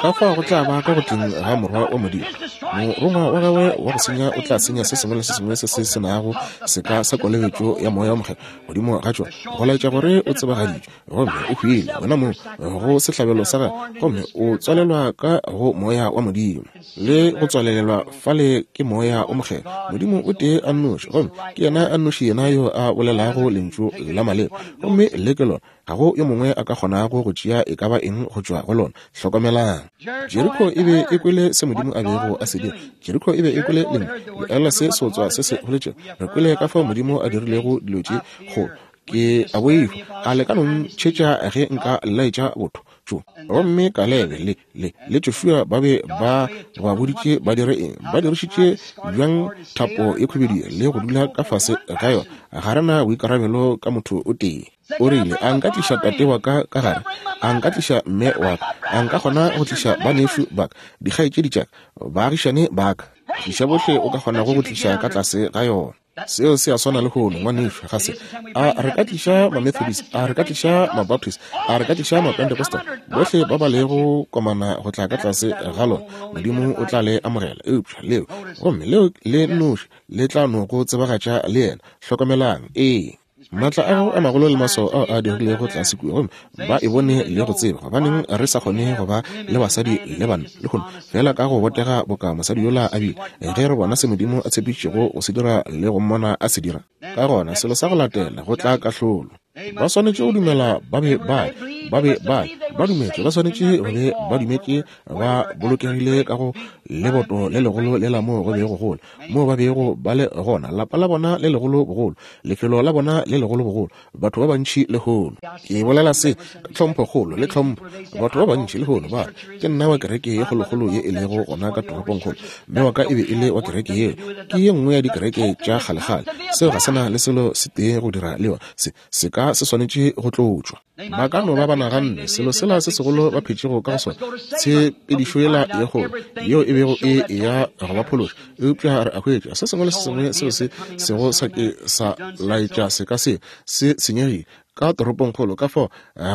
S1: Ka fao go tla ba ka go tleng ga Morwa wa Modimo. Morongwa wa gagwe wa go senya o tla senya se sengwe le se sengwe se se se nago seka sa kolobetšo ya Moya wo Mokgethwa godimo ga tšona, go laetša gore o tsebagaditšwe gomme o hwile wena mong go sehlabelo sa gagwe, gomme o tswalelwa ka go Moya wa Modimo le go tswalelelwa fale ke Moya o Mokgethwa. Modimo o tee a nnoši, gomme ke yena a nnoši yena yo a bolelago lentšu la maleba, gomme le ke lona. Ga go yo mongwe a ka kgonago go tšea e ka ba eng go tšwa go lona. Hlokomelang. Jeriko e be e kwele se Modimo a bego a se dira. Jeriko e be e kwele lentšu. Le ela se seotswa se se boletšego. Re kwele ka fao Modimo a dirilego dilo tše kgolo. Ke a boifa. A le ka no ntšhetša ge nka laetša botho tšo? Gomme Kalebe le, le, le Joshua ba be ba ba boditše ba dire eng? Ba dirišitše bjang thapo e khubedu le go dula ka fase ga yona? Ga re na boikarabelo ka motho o tee. O rile, A nka tliša tate wa ka ka gare? A nka tliša mme wa ka? A nka kgona go tliša banešu ba ka, dikgaetšedi tša ka, baagišane ba ka? Tliša bohle o ka kgonago go tliša ka tlase ga yona. Seo se a swana lehono, ngwanešu, ga se? A re ka tliša Mamethodist? A re ka tliša Mabaptist? A re ka tliša Mapentecostal? Bohle ba ba lego komana go tla ka tlase ga lona, Modimo o tla le amogela. Eupša leo, gomme leo le nnoši, le tla no go tsebagatša le Yena. Hlokomelang. Ee. Maatla a gago a magolo le maswao ao a dirilego tlase kua, gomme ba e bone le go tseba gobaneng re sa kgone go ba le basadi le banna lehono, feela ka go botega boka mosadi yola a bile, ge re bona se Modimo a tshepišitšego go se dira le go mmona a se dira. Ka gona, selo sa go latela, go tla kahlolo. Ba swanetše go dumela ba be ba, ba be ba, ba dumetše, ba swanetše go be ba dumetše ba bolokegile ka go leboto le legolo lela moo go bego go le, moo ba bego ba le gona, lapa la bona le legolo bogolo, lefelo la bona le legolo bogolo, batho ba bantši lehono. Ke bolela se ka tlhomphokgolo le tlhompho. Batho ba bantši lehono ba re, Ke nna wa kereke ye kgolokgolo ye e lego gona ka toropongkgolo. Mme wa ka e be e le wa kereke yeo. Ke ye nngwe ya dikereke tša kgalekgale. Seo ga se na le selo se tee go dira le yona. Se, seka se swanetše go tlotšwa. Ba ka no ba ba naganne selo sela se segolo ba phetšego ka go sona, tshepedišo yela ye kgolo yeo e bego e eya go ba phološa. Eupša re a hwetša se sengwe le se sengwe seo se sego sa ke sa laetša seka se se senyegile ka toropongkgolo. Ka fao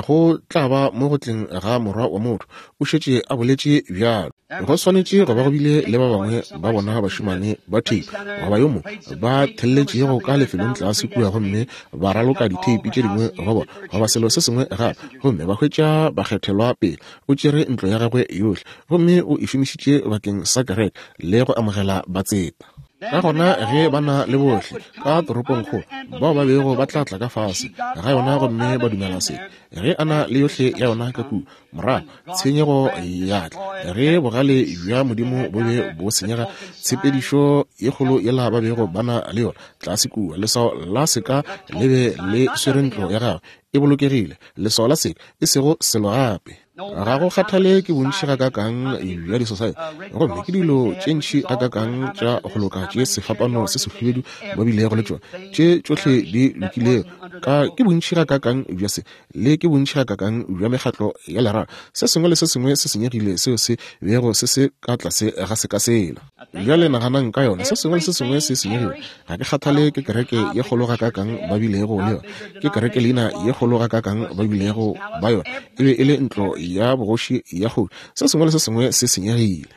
S1: go tla ba mo go tleng ga Morwa wa motho. O šetše a boletše bjalo. Go swanetše go ba go bile le ba bangwe ba bona bašemane ba theipi goba yo mongwe ba thelletšego ka lefelong tlase kua gomme ba raloka ditheipi tše dingwe go bona, goba selo se sengwe gape, gomme ba hwetša bakgethelwa pele. O tšere ntlo ya gagwe yohle gomme o e šomišitše bakeng sa kereke le go amogela batseta. Ka gona ge ba na le bohle ka toropongkgolo bao ba bego ba tla tla ka fase ga yona gomme ba dumela se, ge a na le yohle ya yona ka kua, Morago tshenyego ya tla ge bogale bja Modimo bo be bo senyega, tshepedišo ye kgolo yela ba bego ba na le yona tlase kua, leswao la seka le be le swere ntlo ya gagwe e bolokegile, leswao la seka, e sego selo gape. Ga go kgathale ke bontši gakaakang bja disosaete, gomme ke dilo tše ntši gakaakang tša go loka tše sefapano se sehubedu ba bilego le tšona, tše tšohle di lokilego, ka ke bontši gakaakang bja se Le ke bontši gakaakang bja mekgatlo ya lerato, se sengwe le se sengwe se senyegile seo se bego se se ka tlase ga seka sela. Bjale naganang ka yona, se sengwe le se sengwe se senyegile. Ga ke kgathale ke kereke ye kgolo gakaakang ba bilego le yona, ke kereke leina ye kgolo gakaakang ba bilego ba yona, e be e le ntlo ya bogoši ya kgoši. Se sengwe le se sengwe se senyegile.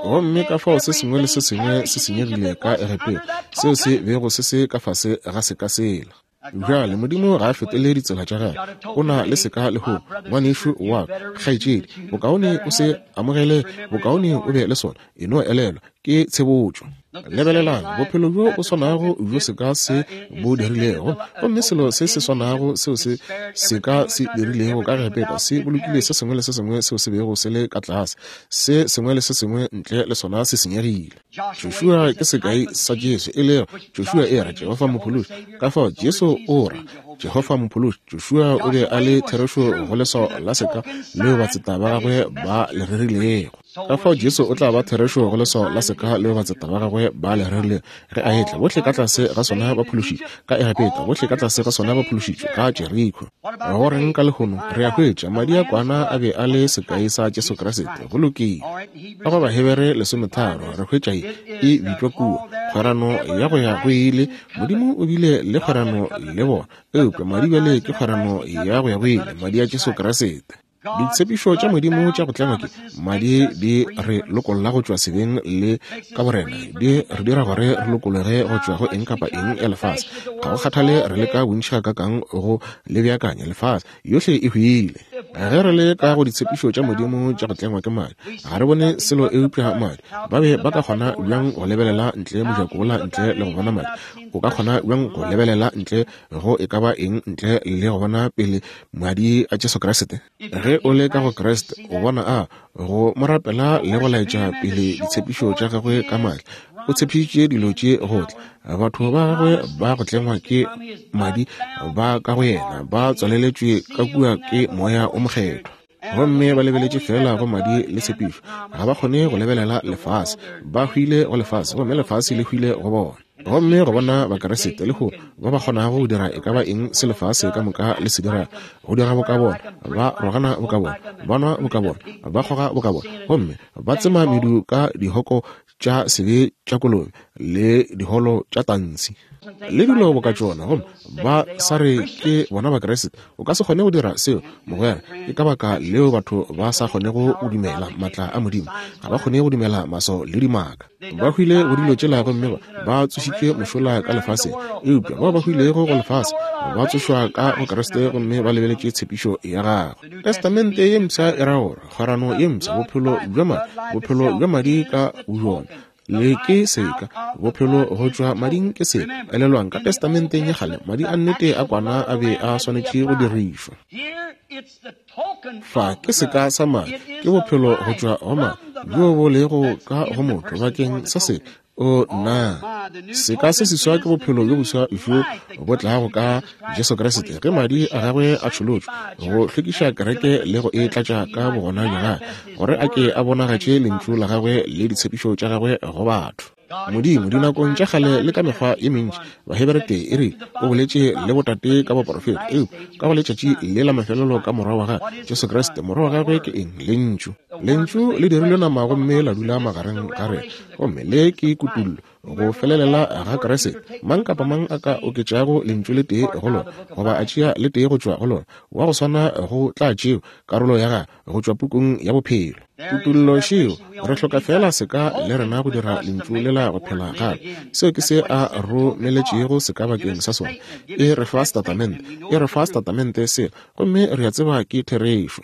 S1: Gomme ka fao se sengwe le se sengwe se senyegile ka Egepeta, seo se bego se se ka fase ga seka sela. Bjale, Modimo ga a fetole ditsela tša gagwe. O na le seka lehono, ngwanešu wa ka, kgaetšedi. Bokaone o se amogele, bokaone o be le sona. E no elelwa, ke tshebotšo. Lebelelang, bophelo bjo bo swanago bjo seka se bo dirilego, gomme selo se se swanago seo se seka se dirilego ka Egepeta, se bolokile se sengwe le se sengwe seo se bego se le ka tlase. Se sengwe le se sengwe ntle le sona se senyegile. Joshua ke sekai sa Jesu, e lego Joshua e ra Jehofa Mophološi. Ka fao Jesu o ra Jehofa Mophološi. Joshua o be a le therešo go leswao la seka leo batseta ba gagwe ba le rerilego. Ka fao Jesu o tla ba therešo go leswao la seka leo batseta ba gagwe ba le rerilego ge a etla. Bohle ka tlase ga sona ba phološitšwe ka Egepeta, bohle ka tlase ga sona ba phološitšwe ka Jeriko. Go reng ka lehono? Re a hwetša madi a kwana a be a le sekai sa Jesu Kriste. Go lokile. Ka go Bahebere lesometharo re hwetša ye e bitšwa kua kgwerano ya go ya go ile. Modimo o bile le kgwerano le bona, eupša madi bjale ke kgwerano ya go ya go ile, madi a Jesu Kriste. Ditshepišo tša Modimo tša go tlengwa ke madi di re lokolla go tšwa sebeng le ka borena, di re dira gore re lokologe go tšwa go eng kapa eng ya lefase. Ga go kgathale re leka bontši gakaakang go le beakanya, lefase yohle e hwile. Ge re le ka go ditshepišo tša Modimo tša go tlengwa ke madi, ga re bone selo eupša madi. Ba be ba ka kgona bjang go lebelela ntle mojako wola ntle le go bona madi? O ka kgona bjang go lebelela ntle go e ka ba eng ntle le go bona pele madi a Jesu Kriste? Ge o le ka go Kriste, o bona a go mo rapela le go laetša pele ditshepišo tša gagwe ka maatla. O tshepišitše dilo tše go tla. Batho ba gagwe ba go tlengwa ke madi ba ka go yena, ba tswaleletšwe ka kua ke Moya o Mokgethwa. Gomme ba lebeletše feela go madi le tshepišo. Ga ba kgone go lebelela lefase. Ba hwile go lefase, gomme lefase le hwile go bona. Gomme go bona Bakeresete lehono ba ba kgonago go dira e ka ba eng se lefase ka moka le se dira, go dira boka bona, ba rogana boka bona, ba nwa boka bona, ba kgoga boka bona, gomme ba tsema medu ka dihoko tša sebe tša kolobe le diholo tša tansi le dilo boka tšona, gomme ba sa re ke bona Bakeresete. O ka se kgone go dira seo, mogwera. Ke ka baka leo batho ba sa kgonego go dumela maatla a Modimo. Ga ba kgone go dumela maso le dimaka. Ba hwile go dilo tšela gomme ba tsošitšwe mošola ka lefaseng. Eupša bao ba hwilego go lefase ba tsošwa ka go Kriste gomme ba lebeletše tshepišo ya gagwe. Testamente ye mpsha e ra gore kgwerano ye mpsha, bophelo bja madi, bophelo bja madi ka bojona. Le ke seka, bophelo go tšwa mading ke seka. Elelwang, ka Testamenteng ya kgale, madi a nnete a kwana a be a swanetše go dirišwa. Fa ke seka sa madi, ke bophelo go tšwa go madi bjo bo lego ka go motho bakeng sa se. O nna, seka se seswa ke bophelo bjo boswa bjo bo tlago ka Jesu Kriste ge madi a gagwe a tšholotšwe go hlwekiša kereke le go e tlatša ka bogona bja gagwe, gore a ke a bonagatše lentšu la gagwe le ditshepišo tša gagwe go batho. Modimo, dinakong tša kgale le ka mekgwa ye mentši, Bahebere tee e re, o boletše le botate ka boporofeta, eupša ka go letšatši le la mafelelo ka Morwa wa gagwe, Jesu Kriste. Morwa wa gagwe ke eng? Lentšu. Lentšu le dirilwe nama gomme la dula magareng ga rena. Gomme le ke kutullo, go felelela ga Kriste. Mang kapa mang a ka oketšago lentšu le tee go lona, goba a tšea le tee go tšwa go lona, wa go swana go tla tšewa karolo ya gagwe go tšwa pukung ya bophelo. Kutollo šeo, re hloka feela seka le rena go dira lentšu lela go phela gape. Seo ke se a romeletšego seka bakeng sa sona. E re fa setatamente, e re fa setatamente sela, gomme re a tseba ke therešo.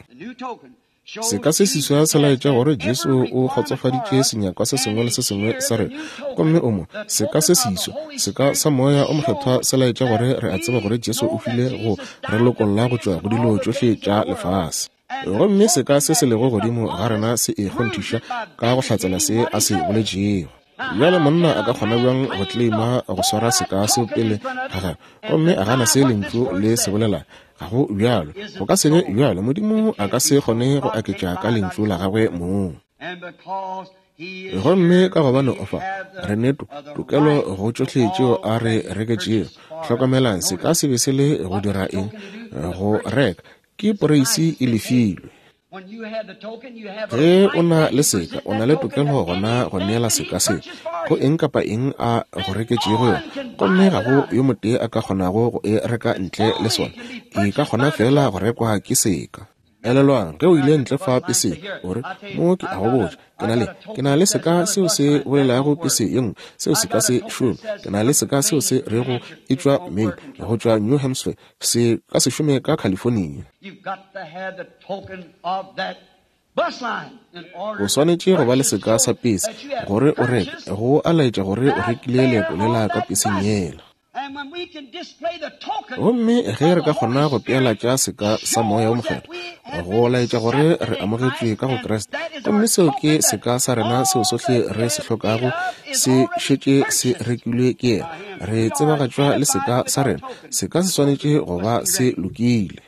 S1: Seka se seswa se laetša gore Jesu o kgotsofaditše senyakwa se sengwe le se sengwe sa rena, gomme o mo. Seka se seswa, seka sa Moya o Mokgethwa se laetša gore re a tseba gore Jesu o hwile go re lokolla go tšwa go dilo tšohle tša lefase. Gomme seka se se lego godimo ga rena se e kgonthiša ka go hlatsela se a se boletšego. Bjale monna a ka kgona bjang go kleima go swara seka seo pele ga gagwe gomme a gana se lentšu le se bolela? Ga go bjalo. Go ka se be bjalo. Modimo a ka se kgone go aketša ka lentšu la gagwe mong. Gomme ka gobane o fa re ne tokelo go tšohle tšeo a re reketšego. Hlokomelang, se ka se be se le go dira eng? Go reka. Ke poreisi e lefilwe. Ge o na le seka, o na le tokelo gona go neela seka se go eng kapa eng a go reketšego yona, gomme ga go yo motee a ka kgonago go e reka ntle le sona. E ka kgona feela go rekwa ke seka. Elelwang, ge o ile ntle fa peseng, o re, Mo ke a go botša, ke na le, ke na le seka seo se bolelago pese ye nngwe, seo se ka se šome. Ke na le seka seo se rego e tšwa Maine, go tšwa New Hampshire, se ka se šome ka California. O swanetše go ba le seka sa pese gore o reke, go a laetša gore o rekile leeto lela ka peseng yela. Gomme ge re ka kgona go pealatša seka sa Moya wo Mokgethwa, go laetša gore re amogetšwe ka go Kriste, gomme seo ke seka sa rena seo sohle re se hlokago se šetše se rekilwe ke Yena. Re tsebagatšwa le seka sa rena. Seka se swanetše go ba se lokile.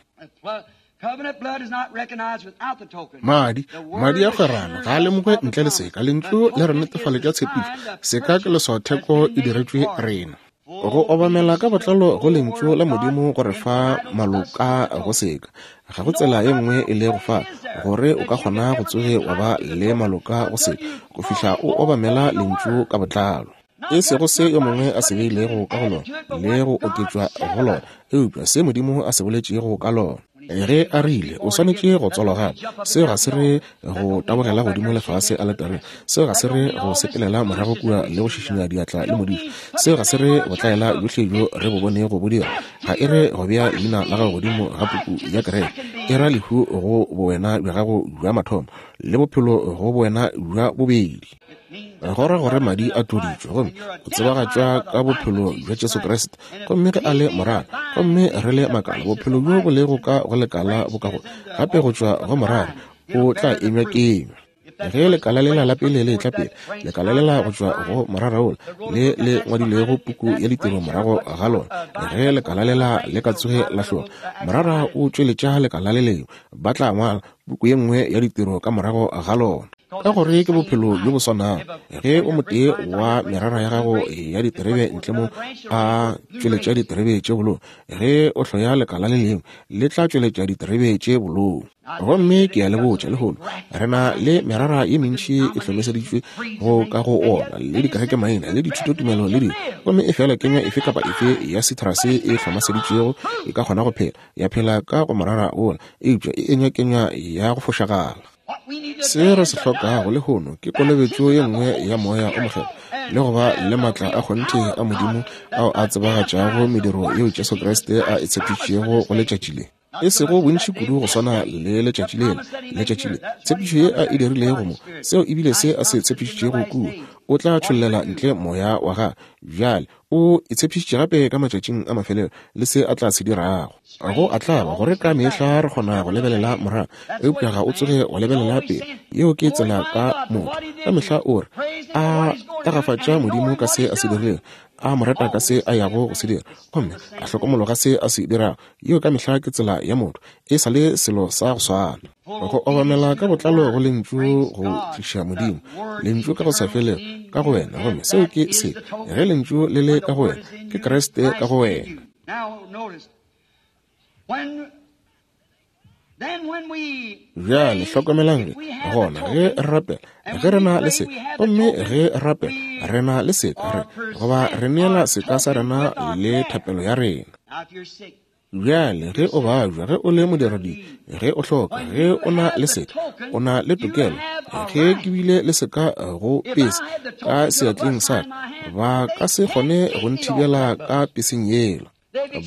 S1: Madi, madi a kgwerano ga a lemogwe ntle le seka. Lentšu le re netefaletša tshepišo. Seka ke leswaotheko e diretšwe rena. Go obamela ka botlalo go Lentšu la Modimo go re fa maloka go seka. Ga go tsela ye nngwe e lego fa gore o ka kgona go tsoge wa ba le maloka go seka go fihla o obamela Lentšu ka botlalo. E sego se yo mongwe a se beilego ka go lona le go oketšwa go lona, eupša se Modimo a se boletšego ka lona. Ge a rile, O swanetše go tswalwa gape, seo ga se re go tabogela godimo le fase aletareng. Seo ga se re go sepelela morago kua le go šišinya diatla le modiši. Seo ga se re botlaela bjohle bjo re bo bonego bo dira. Ga e re go bea leina la gago godimo ga puku ya kereke. E ra lehu go bowena bja gago bja mathomo, le bophelo go bowena bja bobedi. Go ra gore madi a tloditšwe, gomme o tsebagatšwa ka bophelo bja Jesu Kriste. Gomme ge a le morara, gomme re le makala, bophelo bjo bo lego ka go lekala bo ka go gape go tšwa go morara, o tla enywa kenywa. Ge lekala lela la pele le etla pele, lekala lela go tšwa go morara wola, le le ngwadilwego puku ya ditiro morago ga lona, ge lekala lela le ka tsoge la hloga, morara o tšweletša lekala le lengwe, ba tla ngwala puku ye nngwe ya ditiro ka morago ga lona. Ka gore ke bophelo bjo bo swanago. Ge o motee wa merara ya gago ya diterebe ntle mo a tšweletša diterebe tše bolou, ge o hloya lekala le lengwe, le tla tšweletša diterebe tše bolou. Gomme ke a le botša lehono, re na le merara ye mentši e hlomeseditšwe go ka go ona, le dikerekemaina, le dithutotumelo, le dilo. Gomme efela kenywa efe kapa efe ya citrus e hlomaseditšwego e ka kgona go phela, ya phela ka go morara wola, eupša e enywa kenywa ya go fošagala. Se re se hlokago lehono ke kolobetšo ye nngwe ya Moya o Mokgethwa le go ba le maatla a kgonthe a Modimo ao a tsebagatšago mediro yeo Jesu Kriste a e tshepišitšego go letšatši le. E sego bontši kudu go swana le letšatši lela, letšatši le, tshepišo ye a e dirilego mo, seo e bile se a se tshepišitšego kua, o tla tšhollela ntle Moya wa gagwe. Bjale, O e tshepišitše gape ka matšatšing a mafelelo le se a tla se dirago. Go a tlaba gore ka mehla re kgona go lebelela morago, eupša ga o tsoge wa lebelela pele. Yeo ke tsela ka motho. Ka mehla o re a tagafatša Modimo ka se a se dirilego, a mo reta ka se a yago go se dira, gomme a hlokomologa se a se dirago. Yeo ka mehla ke tsela ya motho. E sa le selo sa go swana. Go obamela ka botlalo go Lentšu go tliša Modimo, Lentšu ka go sa felego ka go wena, gomme seo ke se. Ge Lentšu le le ka go wena, ke Kriste ka go wena. Bjale hlokomelang ge, gona, ge re rapela, ge re na le se, gomme ge re rapela, re na le seka, re, goba re neela seka sa rena le thapelo ya rena. Bjale, ge o babja, ge o le modiradibe, ge o hloka, ge o na le seka, o na le tokelo. Ge ke bile le seka go pese ka seatleng sa ka, ba ka se kgone go nthibela ka peseng yela.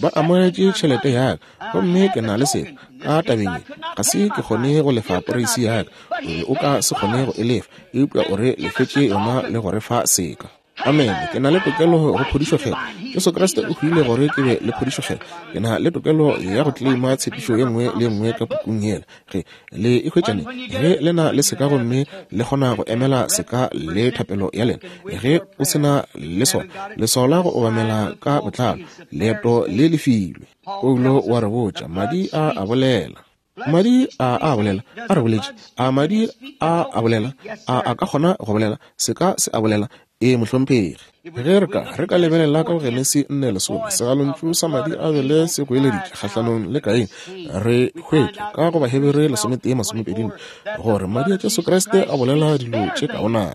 S1: Ba amogetše tšhelete ya ka, gomme ke na le seka ka tabeng ye. Ga se ke kgone go lefa poreisi ya ka, o be o ka se kgone go e lefa, eupša o re lefetše yona le go re fa seka. Amene. Ke na le tokelo go phodišo Kgethwa. Jesu Kriste o hwile gore ke be le phodišo Kgethwa. Ke na le tokelo ya go kleima tshepišo ye nngwe le ye nngwe ka pukung yela. Ge le e hwetša neng? Ge le na le seka gomme le kgona go emela seka le thapelo ya lena. Ge o se na le sona, leswao la go obamela ka botlalo, leeto le lefilwe. Paulo o a re botša, Madi a a bolela. Madi a a bolela, a re boletše. A madi a a bolela, a a ka kgona go bolela, seka se a bolela. Ee, mohlomphegi. Ge re ka, re ka lebelela ka go Genesi 4:10, segalontšu sa madi a bele se goeleditše kgahlanong le Kaine. Re hwetša ka go Bahebere 11:24 gore madi a Jesu Kriste a bolela dilo tše kaonana.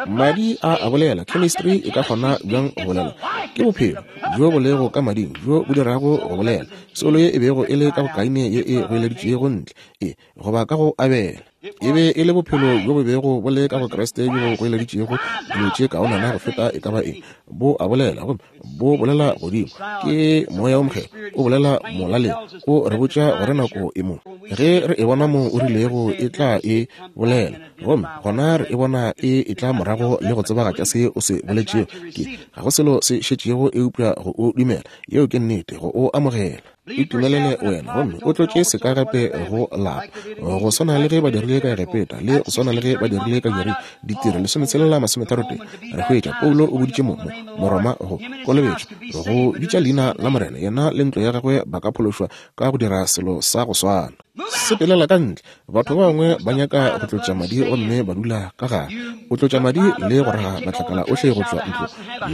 S1: Madi a a bolela. Chemistry e ka kgona bjang go bolela? Ke bophelo bjo bo lego ka mading bjo bo dirago go bolela. Soulo ye e bego e le ka go Kaine ye e goeleditšego ntle, e, goba ka go Abele. E be e le bophelo bjo bo bego bo le ka go Kriste bjo bo goeleditšego dilo tše kaonana go feta e ka ba eng. Bo a bolela, gomme bo bolela godimo. Ke Moya wo Mokgethwa o bolela molaleng, o re botša gore nako e mo. Ge re e bona mo o rilego e tla e bolela, gomme gona re e bona e etla morago le go tsebagatša se o se boletšego. Ke ga go selo se šetšego eupša go o dumela, yeo ke nnete, go o amogela. Itumelele wena gomme o tlotše seka gape go lapa, go swana le ge ba dirile ka Egepeta le go swana le ge ba dirile ka Jeriko. Ditiro 16:33, re hwetša Paulo o boditše mo, mo Moroma go kolobetšwa, go bitša leina la Morena, yena le ntlo ya gagwe ba ka phološwa ka go dira selo sa go swana. Sepelela ka ntle. Batho ba bangwe ba nyaka go tlotša madi gomme ba dula ka gare. O tlotša madi le go raga matlakala ohle go tšwa ntlo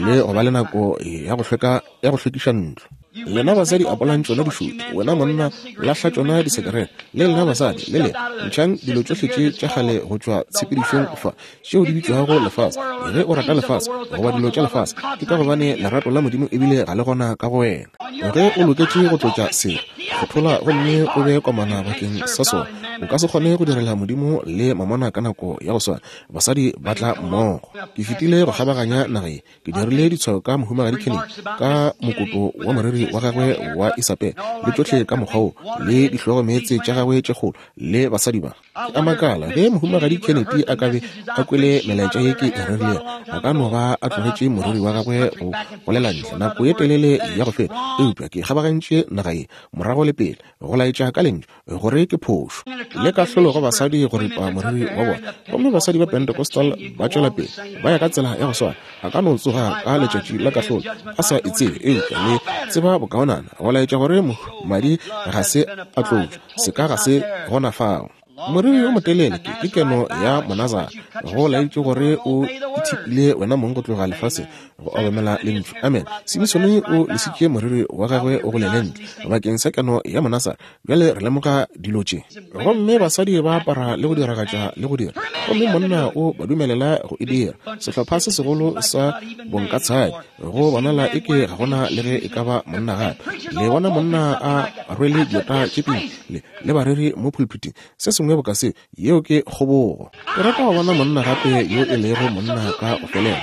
S1: le go ba le nako ya go hlweka, ya go hlwekiša ntlo. Lena basadi apolang tšona dišutu, wena monna lahla tšona disekerete, le lena basadi le lena ntšhang dilo tšohle tše tša kgale go tšwa tshepedišong fa, tšeo di bitšwago lefase. Ge o rata lefase goba dilo tša lefase, ke ka gobane lerato la Modimo ebile ga le gona ka go wena. Ge o loketše go tlotša selo, kgothola gomme o be komana bakeng sa sona. O ka se kgone go direla Modimo le mamona ka nako ya go swana. Basadi ba tla mmogo. Ke fetile go kgabaganya naga ye, ke dirile ditshwao ka Mohumagadi Kennedy, ka mokoto wa moriri wa gagwe wa Isabel, le tšohle ka mokgwa wo, le dihlogomeetse tša gagwe tše kgolo, le basadi ba. Ke a makala ge Mohumagadi Kennedy a ka be a kwele melaetša ye ke e rerilego, a ka no ba a tlogetše moriri wa gagwe go golela ntle nako ye telele ya go feta. Eupša ke kgabagantše naga ye morago le pele go laetša ka lentšu gore ke phošo le kahlolo go basadi go ripa moriri wa bona, gomme basadi ba Pentecostal ba tšwela pele ba ya ka tsela ya go swana. A ka no tsoga ka letšatši la kahlolo a sa e tsebe, eupša le tseba bokaonana go laetša gore madi ga se a tlotšwa, seka ga se gona fao. Moriri yo motelele ke, ke keno ya Monazara, go laetše gore o ithipile wena mong go tloga lefaseng go obamela lentšu. Amen. Simisone o lesitše moriri wa gagwe o golele ntle bakeng sa keno ya Monazara. Bjale re lemoga dilo tše. Gomme basadi ba apara le go diragatša le go dira, gomme monna o ba dumelela go e dira. Sehlopha se segolo sa bonkatshadi, go bonala eke ga gona le ge e ka ba monna gape. Le bona monna a rwele dieta tše pedi le, le bareri mo pulpiting, se sengwe boka se, yeo ke kgobogo. Ke rata go bona monna gape yo e lego monna ka go felela.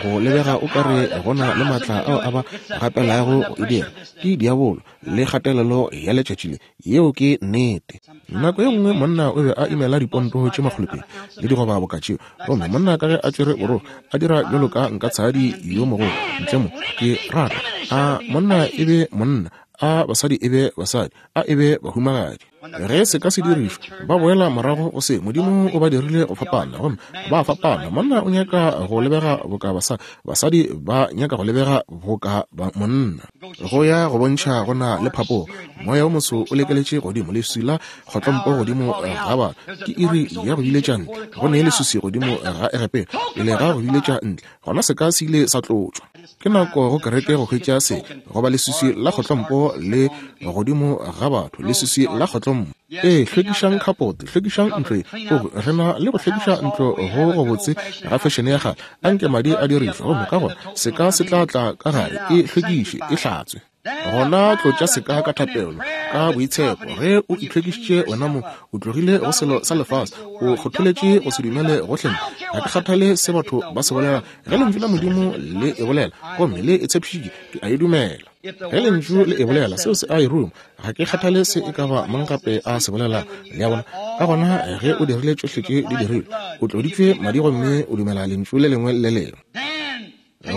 S1: Go lebega o ka re gona le maatla ao a ba gapelago go e dira, ke diabolo le kgatelelo ya letšatši le. Yeo ke nnete. Nako ye nngwe monna o be a imela diponto tše makgolopedi le digoba boka tšeo, gomme monna ka ge a tšwere borogo a dira bjalo ka nkatshadi yo mogolo ntle mo. Ke rata a monna e be monna, a basadi e be basadi, a e be bahumagadi. Ge se ka se dirišwa, ba boela morago go se Modimo o ba dirile go fapana, gomme ba fapana. Monna o nyaka go lebega boka basadi, basadi ba nyaka go lebega boka monna. Go ya go bontšha go na le phapogo, moya o moso o lekeletše godimo, leswi la kgotlompo godimo ga batho. Ke iri ya go biletša ntle. Go ne leswiswi godimo ga Egepeta pele ga go biletša ntle, gona seka se ile sa tlotšwa. Ke nako go kereke go hwetša se, goba leswiswi la kgotlompo le godimo ga batho, leswiswi la kgotlompo. Ee, hlwekišang khapote, hlwekišang ntlo ye. O, re na le go hlwekiša ntlo go gobotse ga fešene ya kgale. Anke madi a dirišwe, gomme ka gona seka se tla tla ka gare, e hlwekiše, e hlatswe. Gona tlotša seka ka thapelo, ka boitshepo. Ge o itlhwekišitše wena mo, o tlogile go selo sa lefase, o kgotholetše go se dumele gohle. Ga ke kgathale se batho ba se bolela. Ge Lentšu la Modimo le e bolela, gomme le e tshepišitše, ke a e dumela. Ge Lentšu le e bolela, seo se a e ruma. Ga ke kgathale se e ka ba mang gape a se bolela. Le a bona? Ka gona ge o dirile tšohle tše di dirilwe, o tloditšwe madi gomme o dumela Lentšu le lengwe le le lengwe.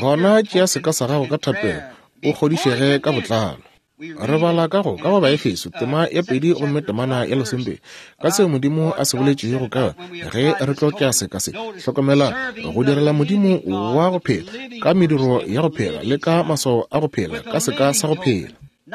S1: Gona tšea seka sa gago ka thapelo, o kgodišege ka botlalo. Re bala ka go ka go Baefeso tema ya 2 gomme temana ya 12 ka seo Modimo a se boletšego ka ge re tlo tšea seka se. Hlokomela go direla Modimo wa go phela ka mediro ya go phela le ka maswao a go phela ka seka sa go phela.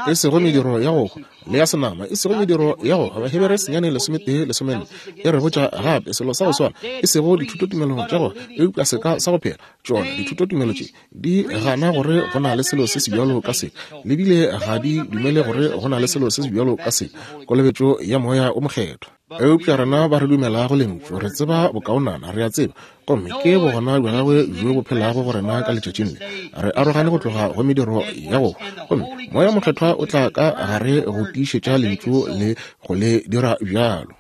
S1: E sego mediro ya go hwa le ya senama, e sego mediro ya go hwa. Bahebere 9:14 e re botša gape selo sa go swana, e sego dithutotumelo tša go hwa, eupša seka sa go phela. Tšona dithutotumelo tše di gana gore go na le selo se se bjalo ka se, le bile ga di dumele gore go na le selo se se bjalo ka se, kolobetšo ya Moya o Mokgethwa. Eupša rena ba re dumelago Lentšu re tseba bokaonana, re a tseba, gomme ke bogona bja gagwe bjo bo phelago go rena ka letšatšing le. Re arogane go tloga go mediro ya go hwa, gomme Moya o Mokgethwa o tla ka gare go tiišetša Lentšu le go le dira bjalo.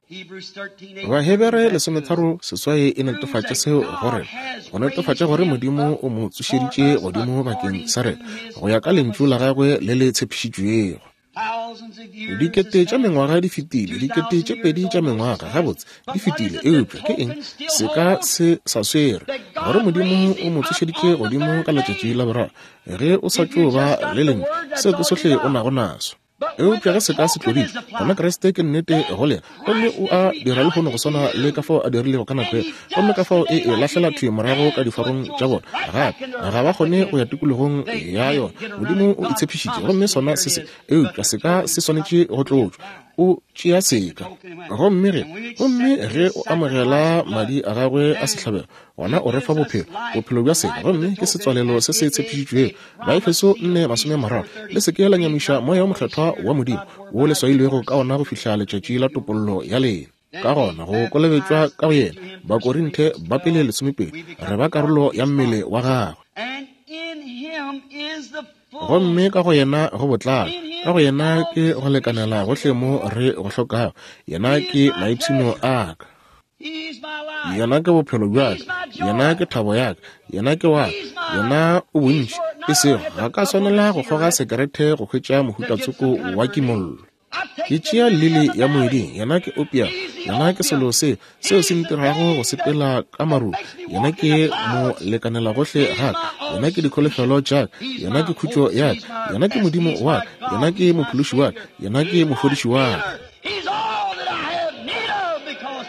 S1: Bahebere 13:8 e netefatša seo go rena, go netefatša gore Modimo o mo tsošeditše godimo bakeng sa rena, go ya ka Lentšu la gagwe le le tshepišitšwego. Dikete tša mengwaga di fetile, dikete tše pedi tša mengwaga gabotse di fetile, eupša ke eng se ka se sa swere gore Modimo o mo tsošeditše godimo ka letšatši la boraro? Ge o sa tšo ba le lentšu, seo ke sohle o nago naso. Eupša ge seka se tloditšwe, gona Kriste ke nnete go lena, gomme o a dira lehono go swana le ka fao a dirilego ka nako yela. Gomme ka fao e e lahlela thwi morago ka diforong tša bona gape. Ga ba kgone go ya tikologong ya yona. Modimo o e tshepišitše, gomme sona se se. Eupša seka se swanetše go tlotšwa. O tšea seka. Gomme ge, gomme ge o amogela madi a gagwe a sehlabelo, gona o re fa bophelo, bophelo bja seka, gomme ke setswalelo se se tshepišitšwego. Baefeso 4:30, Le se ke la nyamiša Moya wo Mokgethwa wa Modimo, wo le swailwego ka ona go fihla letšatši la topollo ya lena. Ka gona go kolobetšwa ka go yena, Bakorinthe ba pele 12, re ba karolo ya mmele wa gagwe. Gomme ka go yena go botlalo, ka go yena ke go lekanela gohle mo re go hlokago. Yena ke maipshino a ka. Yena ke bophelo bja ka. Yena ke thabo ya ka. Yena ke wa ka. Yena o bontši. E sego, ga ka swanela go kgoga sekerete go hwetša mohuta tsoko wa kimollo. Ke tšea lili ya moeding, yena ke opium, yena ke selo se seo se ntirago go sepela ka marung, yena ke mo lekanela gohle ga ka, yena ke dikholofelo tša ka, yena ke khutšo ya ka, yena ke Modimo wa ka, yena ke mophološi wa ka, yena ke mofodiši wa ka.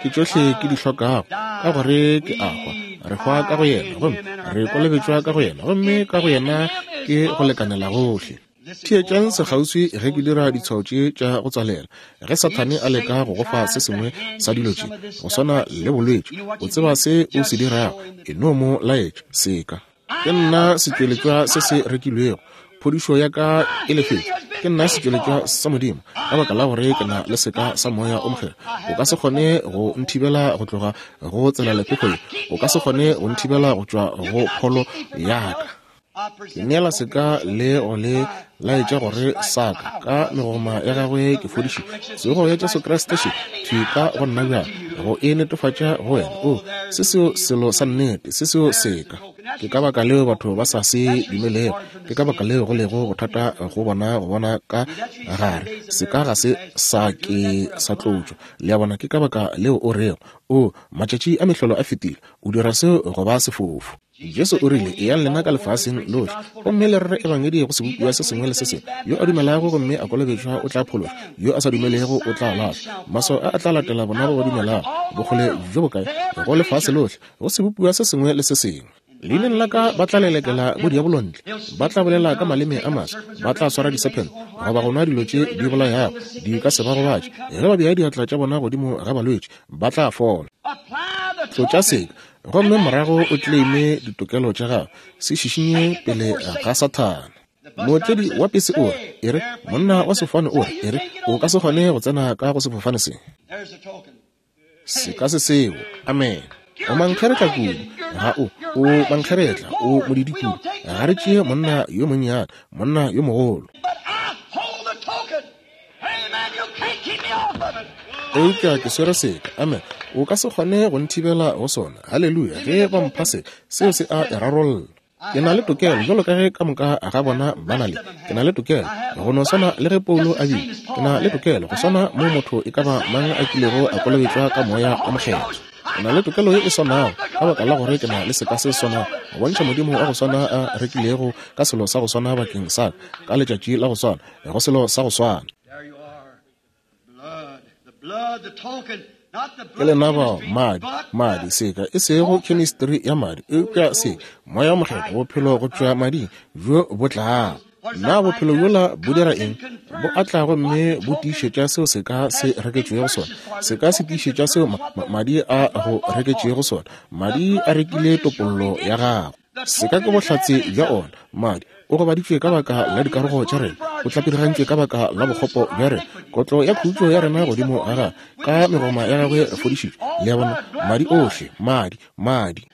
S1: Ke tšohle ke di hlokago, ka gore ke a hwa. Re hwa ka go yena, gomme re kolobetšwa ka go yena, gomme ka go yena ke go lekanela gohle. Theetšang sekgauswi ge ke dira ditshwao tše tša go tswalela. Ge Sathane a leka go go fa se sengwe sa dilo tše, go swana le bolwetši, o tseba se o se dirago, e no mo laetša seka. Ke nna setšweletšwa se se rekilwego, phodišo ya ka e lefetšwe. Ke nna setšweletšwa sa Modimo, ka baka la gore ke na le seka sa Moya o Mokgethwa. O ka se kgone go nthibela go tloga go tselalephefo ye. O ka se kgone go nthibela go tšwa go pholo ya ka. Ke neela seka le go le laetša gore sa ka, ka megoma ya gagwe ke fodišitšwe. Tsogo ya Jesu Kriste še thwi ka go nna bjale, go e netefatša go wena. O, se seo selo sa nnete, se seo seka. Ke ka baka leo batho ba sa se dumelego. Ke ka baka leo go lego bothata go bona go bona ka gare. Seka ga se sa ke sa tlotšwa. Le a bona, ke ka baka leo o rego, O, matšatši a mehlolo a fetile. O dira seo go ba sefofu. Jesu o rile, Eyang lena ka lefaseng lohle, gomme le rere ebangedi go sebopiwa se sengwe le se sengwe. Yo a dumelago gomme a kolobetšwa o tla phološwa, yo a sa dumelego o tla lahlwa. Maswao a a tla latela bona ba ba dumelago. Bokgole bjo bokae? Go lefase lohle, go sebopiwa se sengwe le se sengwe. Leineng la ka ba tla lelekela bodiabolo ntle, ba tla bolela ka maleme a maswa, ba tla swara disephente, goba go nwa dilo tše di bolayago, di ka se ba gobatše. Ge ba bea diatla tša bona godimo ga balwetši, ba tla fola. Tlotša seka, gomme morago o claime ditokelo tša gago. Se šišinye pele ga Sathane. Mootledi wa pese o re, E re, monna wa sefofane o re, e re, o ka se kgone go tsena ka go sefofane se. Se ka se seo. Amen. O mankgeretla kudu. Ga o, o mankgeretla, o modidi kudu. Ga re tšee monna yo monnyane, monna yo mogolo. Eupša ke swere seka. Amen. O ka se kgone go nthibela go sona. Haleluya. Ge ba mpha se, seo se a e rarolla. Ke na le tokelo, bjalo ka ge ka moka ga bona ba na le. Ke na le tokelo, go no swana le ge Paulo a bile. Ke na le tokelo, go swana mo motho e ka ba mang a kilego a kolobetšwa ka Moya wo Mokgethwa. Ke na le tokelo ye e swanago, ka baka la gore ke na le seka se swanago, go bontšha Modimo wa go swana a rekilego ka selo sa go swana bakeng sa ka, ka letšatši la go swana, go selo sa go swana. Ke lena bao, madi, madi, seka, e sego chemistry ya madi, eupša se, Moya wo Mokgethwa, bophelo go tšwa mading, bjo bo tlago. Na bophelo bjola bo dira eng? Bo a tla gomme bo tiišetša seo seka se reketšwego sona. Seka se tiišetša seo ma, ma, madi a go reketšego sona. Madi a rekile topollo ya gago. Seka ke bohlatse bja ona. Madi, o gobaditšwe ka baka la dikarogo tša rena, o tlapirigantšwe ka baka la bokgopo bja rena. Kotlo ya khutšo ya rena godimo ga gagwe, ka megoma ya gagwe re fodišitšwe. Le a bona? Madi ohle, madi, madi.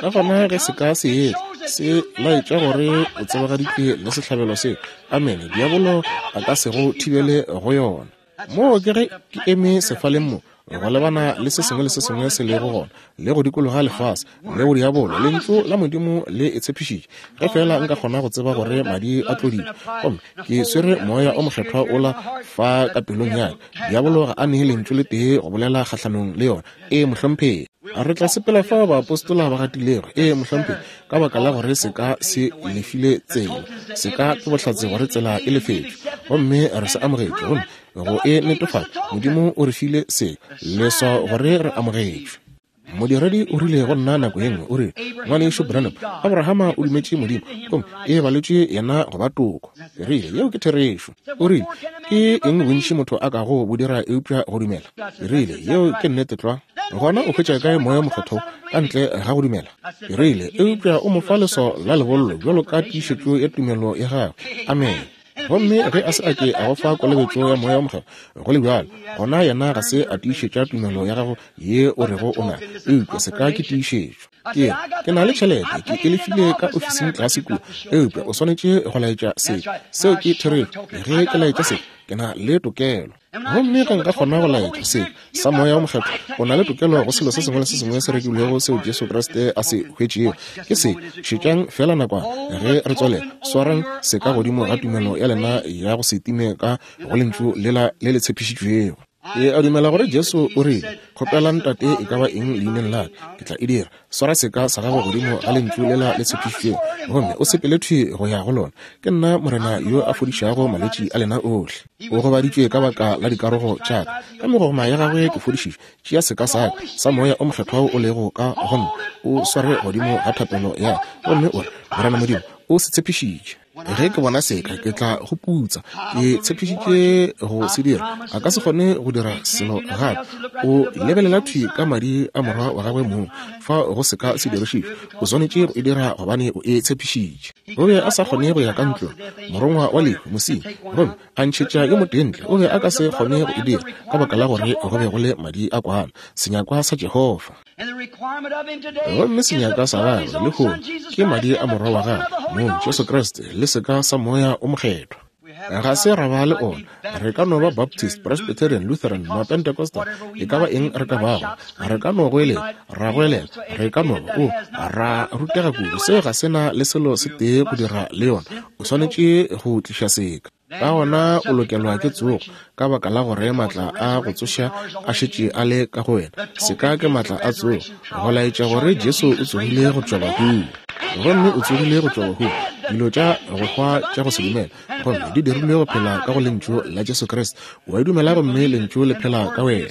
S1: Ka gona ge seka se etla, se laetša gore o tsebagaditšwe le sehlabelo seo. Amene. Diabolo a ka se go thibele go yona. Moo ke ge ke eme sefaleng mo, go lebana le se sengwe le se sengwe se lego gona, le go dikologa lefase, le go diabolo. Lentšu la Modimo le e tshepišitše. Ge feela nka kgona go tseba gore madi a tloditšwe, gomme ke swere Moya o Mokgethwa ola fa ka pelong ya ka, diabolo ga a nee lentšu le tee go bolela kgahlanong le yona. Ee, mohlomphegi. Re tla sepela fao baapostola ba gatilego, ee, mohlomphegi, ka baka la gore seka se lefile tsela. Seka ke bohlatse gore tsela e lefetšwe. Gomme re se amogetše, gomme go e netefatša, Modimo o re file se, leswao gore re amogetšwe. Modiredi o rile go nna nako ye nngwe, o rile, Ngwanešu Branham, Abrahama o dumetše Modimo, gomme e baletšwe yena go ba toko. Ke rile, Yeo ke therešo. O rile, Ke eng bontši motho a kago bo dira eupša go dumela? Ke rile, Yeo ke nnete tlwa. Gona o hwetša kae Moya wo Mokgethwa ka ntle ga go dumela? Ke rile, Eupša o mo fa leswao la lebollo bjalo ka tiišetšo ya tumelo ya gagwe. Amene. Gomme ge a se a ke a go fa kolobetšo ya Moya wo Mokgethwa, go le bjalo, gona yena ga se a tiišetša tumelo ya gago ye o rego o na, eupša se ka ke tiišetšo. Ke re, ke na le tšhelete, ke e lefile ka ofising tlase kua, eupša o swanetše go laetša se. Seo ke therešo. Ge ke laetša se, ke na le tokelo. Gomme ge nka kgona go laetša se sa Moya wo Mokgethwa, o na le tokelo go selo se sengwe le se sengwe se rekilwego seo Jesu Kriste a se hwetšego. Ke se, šetšang feela nakwana ge re tswalela. Swarang se ka godimo ga tumelo ya lena ya go se time ka go Lentšu lela le le tshepišitšwego. Ke a dumela gore Jesu o rile, Kgopelang Tate e ka ba eng leineng la ka, ke tla e dira. Swara seka sa gago godimo ga Lentšu lela le tshepišitšwego, gomme o sepele thwi go ya go lona. Ke nna Morena yo a fodišago malwetši a lena ohle. O gobaditšwe ka baka la dikarogo tša ka, ka megogoma ya gagwe ke fodišitšwe. Tšea seka sa ka sa Moya o Mokgethwa wo o lego ka go nna, o sware godimo ga thapelo ya ka, gomme o re, Morena Modimo, o se tshepišitše. Ge ke bona seka, ke tla go putsa. Ke tshepišitše go se dira. A ka se kgone go dira selo gape. O lebelela thwi ka madi a morwa wa gagwe mong. Fa go seka se dirišitšwe, o swanetše go e dira gobane o e tshepišitše. O be a sa kgone go ya ka ntlong, morongwa wa lehu, mosenyi, gomme a ntšhetša yo motee ntle. O be a ka se kgone go e dira ka baka la gore go be go le madi a kwana, senyakwa sa Jehofa. Gomme senyaka sa gagwe lehono ke madi a Morwa wa gagwe mong Jesu Kriste le seka sa Moya o Mokgethwa. Ga se ra ba le ona. Re ka no ba Baptist, Presbyterian, Lutheran, Mapentecostal, e ka ba eng re ka bago. Re ka no goelela, ra goelela, re ka no ba, o, ra rutega kudu. Seo ga se na le selo se tee go dira le yona. O swanetše go tliša seka. Ka gona o lokelwa ke tsogo, ka baka la gore maatla a go tsoša a šetše a le ka go wena. Seka ke maatla a tsogo, go laetša gore Jesu o tsogile go tšwa bahung. Gomme o tsogile go tšwa bahung, dilo tša go hwa tša go se dumela, gomme di dirilwe go phela ka go Lentšu la Jesu Kriste. O a e dumela gomme Lentšu le phela ka wena.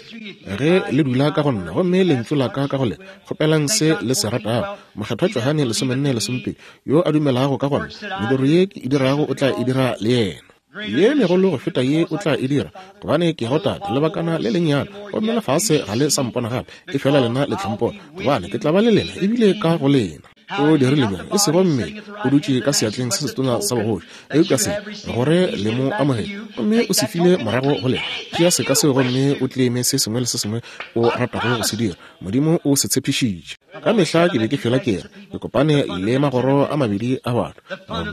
S1: Ge le dula ka go nna gomme Lentšu la ka ka go lena, kgopelang se le se ratago. Mokgethwa Johane 14 lesomepedi, Yo a dumelago ka gona, mediro ye ke e dirago o tla e dira le yena. Ye megolo go feta ye o tla e dira, gobane ke go Tate lebakana le lennyane, gomme lefase ga le sa mpona gape, efela lena le tla mpona, gobane ke tla ba le lena ebile ka go lena. O dirile bjang? E sego mmele o dutše ka seatleng se setona sa bogoši, eupša se, gore le mo amogele, gomme o se file morago go lena. Tšea seka seo gomme o tleme se sengwe le se sengwe o ratago go se dira. Modimo o se tshepišitše. Ka mehla ke be ke fela ke re, ke kopane le magoro a mabedi a batho,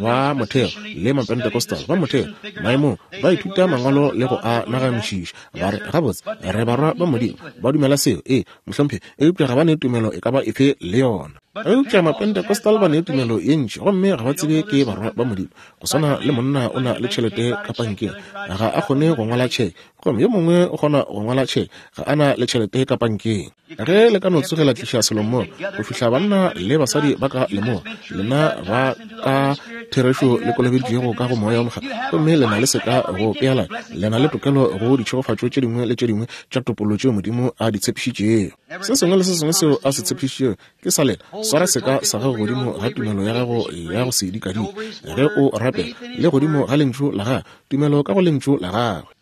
S1: ba motheo le Mapentecostal. Ba motheo, maemong, ba ithuta Mangwalo le go a naganišiša, ba re, Gabotse, re barwa ba Modimo. Ba dumela seo, ee, mohlomphegi, eupša ga ba ne tumelo e ka ba efe le yona. Eupša Mapentecostal ba ne tumelo ye ntši, gomme ga ba tsebe ke barwa ba Modimo. Go swana le monna o na le tšhelete ka pankeng, ga a kgone go ngwala tšheke, gomme yo mongwe o kgona go ngwala tšheke, ga a na le tšhelete ka pankeng. Ge le ka no tsoge la tliša selo mmogo, go fihla banna le basadi ba ka lemoga, lena ba ka therešo le kolobeditšwego ka go Moya wo Mokgethwa, gomme le na le seka go peelana, le na le tokelo go ditšhegofatšo tše dingwe le tše dingwe tša topollo tšeo Modimo a di tshepišitšego. Se sengwe le se sengwe seo a se tshepišitšego ke sa lena. Swara seka sa gago godimo ga tumelo ya gago ya go se dikadike ge o rapela, le godimo ga Lentšu la Gagwe, tumelo ka go Lentšu la Gagwe.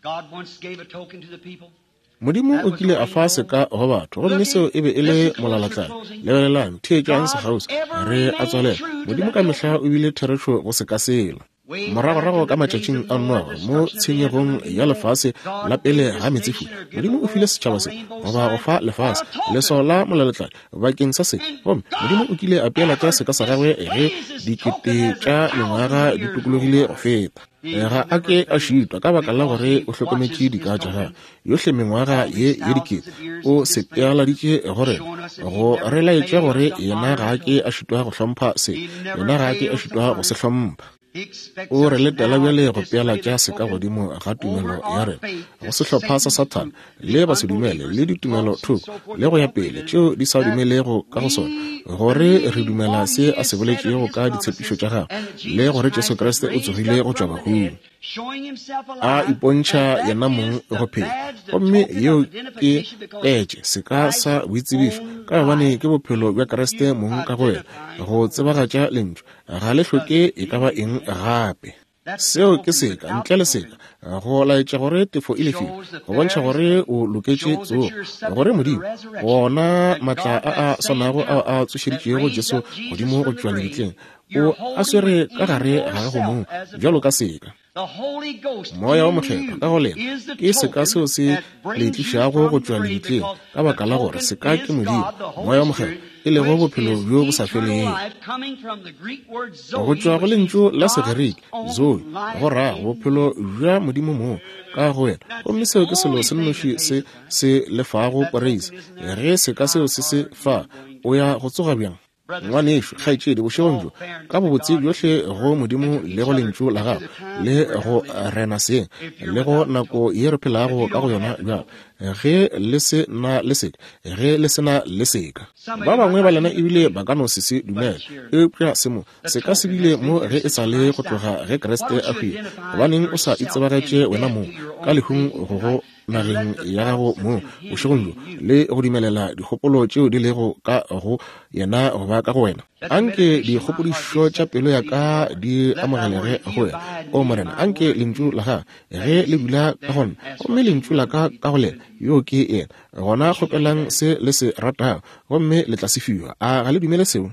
S1: Modimo o kile a fa seka go batho, gomme seo e be e le molalatladi. Lebelelang, theetšang sekgauswi, re a tswalela. Modimo ka mehla o bile therešo go seka sela. Moragorago ka matšatšing a Noage, mo tshenyegong ya lefase la pele ga meetsefula, Modimo o file setšhaba se, goba go fa lefase, leswao la molalatladi bakeng sa se. Gomme Modimo o kile a peelatša seka sa gagwe ge dikete tša mengwaga di tokologile go feta. Ga a ke a šitwa ka baka la gore o hlokometše dika tša gagwe. Yohle mengwaga ye ye dikete o se pealaditše go rena, go re laetša gore yena ga a ke a šitwa go hlompha se, yena ga a ke a šitwa go se hlompha. O re letela bjale go pealatša seka godimo ga tumelo ya rena, go sehlopha sa Sathane le basedumele le ditumelo thoko le go ya pele tšeo di sa dumelego ka go sona, gore re dumela se a se boletšego ka ditshepišo tša gagwe le gore Jesu Kriste o tsogile go tšwa bahung. A ipontšha yena mong go phela. Gomme yeo ke petše, seka sa boitsebišo, ka gobane ke bophelo bja Kriste mong ka go wena, go tsebagatša Lentšu. Ga le hloke e ka ba eng gape. Seo ke seka, ntle le seka, go laetša gore tefo e lefile, go bontšha gore o loketše tsogo, gore Modimo, wona maatla a a swanago ao a tsošeditšego Jesu godimo go tšwa lebitleng, o a swere ka gare ga gago mong bjalo ka seka. Moya wo Mokgethwa ka go lena ke seka seo se le tlišago go tšwa lebitleng, ka baka la gore seka ke Modimo, Moya wo Mokgethwa, e lego bophelo bjo bo sa felego. Go tšwa go lentšu la Segerike zoe, go ra bophelo bja Modimo mong ka go wena. Gomme seo ke selo se nnoši se se lefago poreisi. Ge seka seo se se fa, o ya go tsoga bjang? Ngwanešu, kgaetšedi, bošegong bjo, ka bobotse bjohle go Modimo le go Lentšu la Gagwe, le go rena seng, le go nako ye re phelago ka go yona bjalo, ge le se na le seka, ge le se na le seka. Ba bangwe ba lena ebile ba ka no se se dumele, eupša se mo, seka se bile mo ge e sa le go tloga ge Kriste a hwile. Gobaneng o sa itsebagetše wena mong ka lehung go go nageng ya gago mo bošegong bjo le go dumelela dikgopolo tšeo di lego ka go yena go ba ka go wena? Anke dikgopodišo tša pelo ya ka di amogelege go wena, o Morena. Anke lentšu la gago ge le dula ka go nna, gomme lentšu la ka ka go lena, yo ke yena. Gona kgopelang se le se ratago, gomme le tla se fiwa. A ga le dumele seo?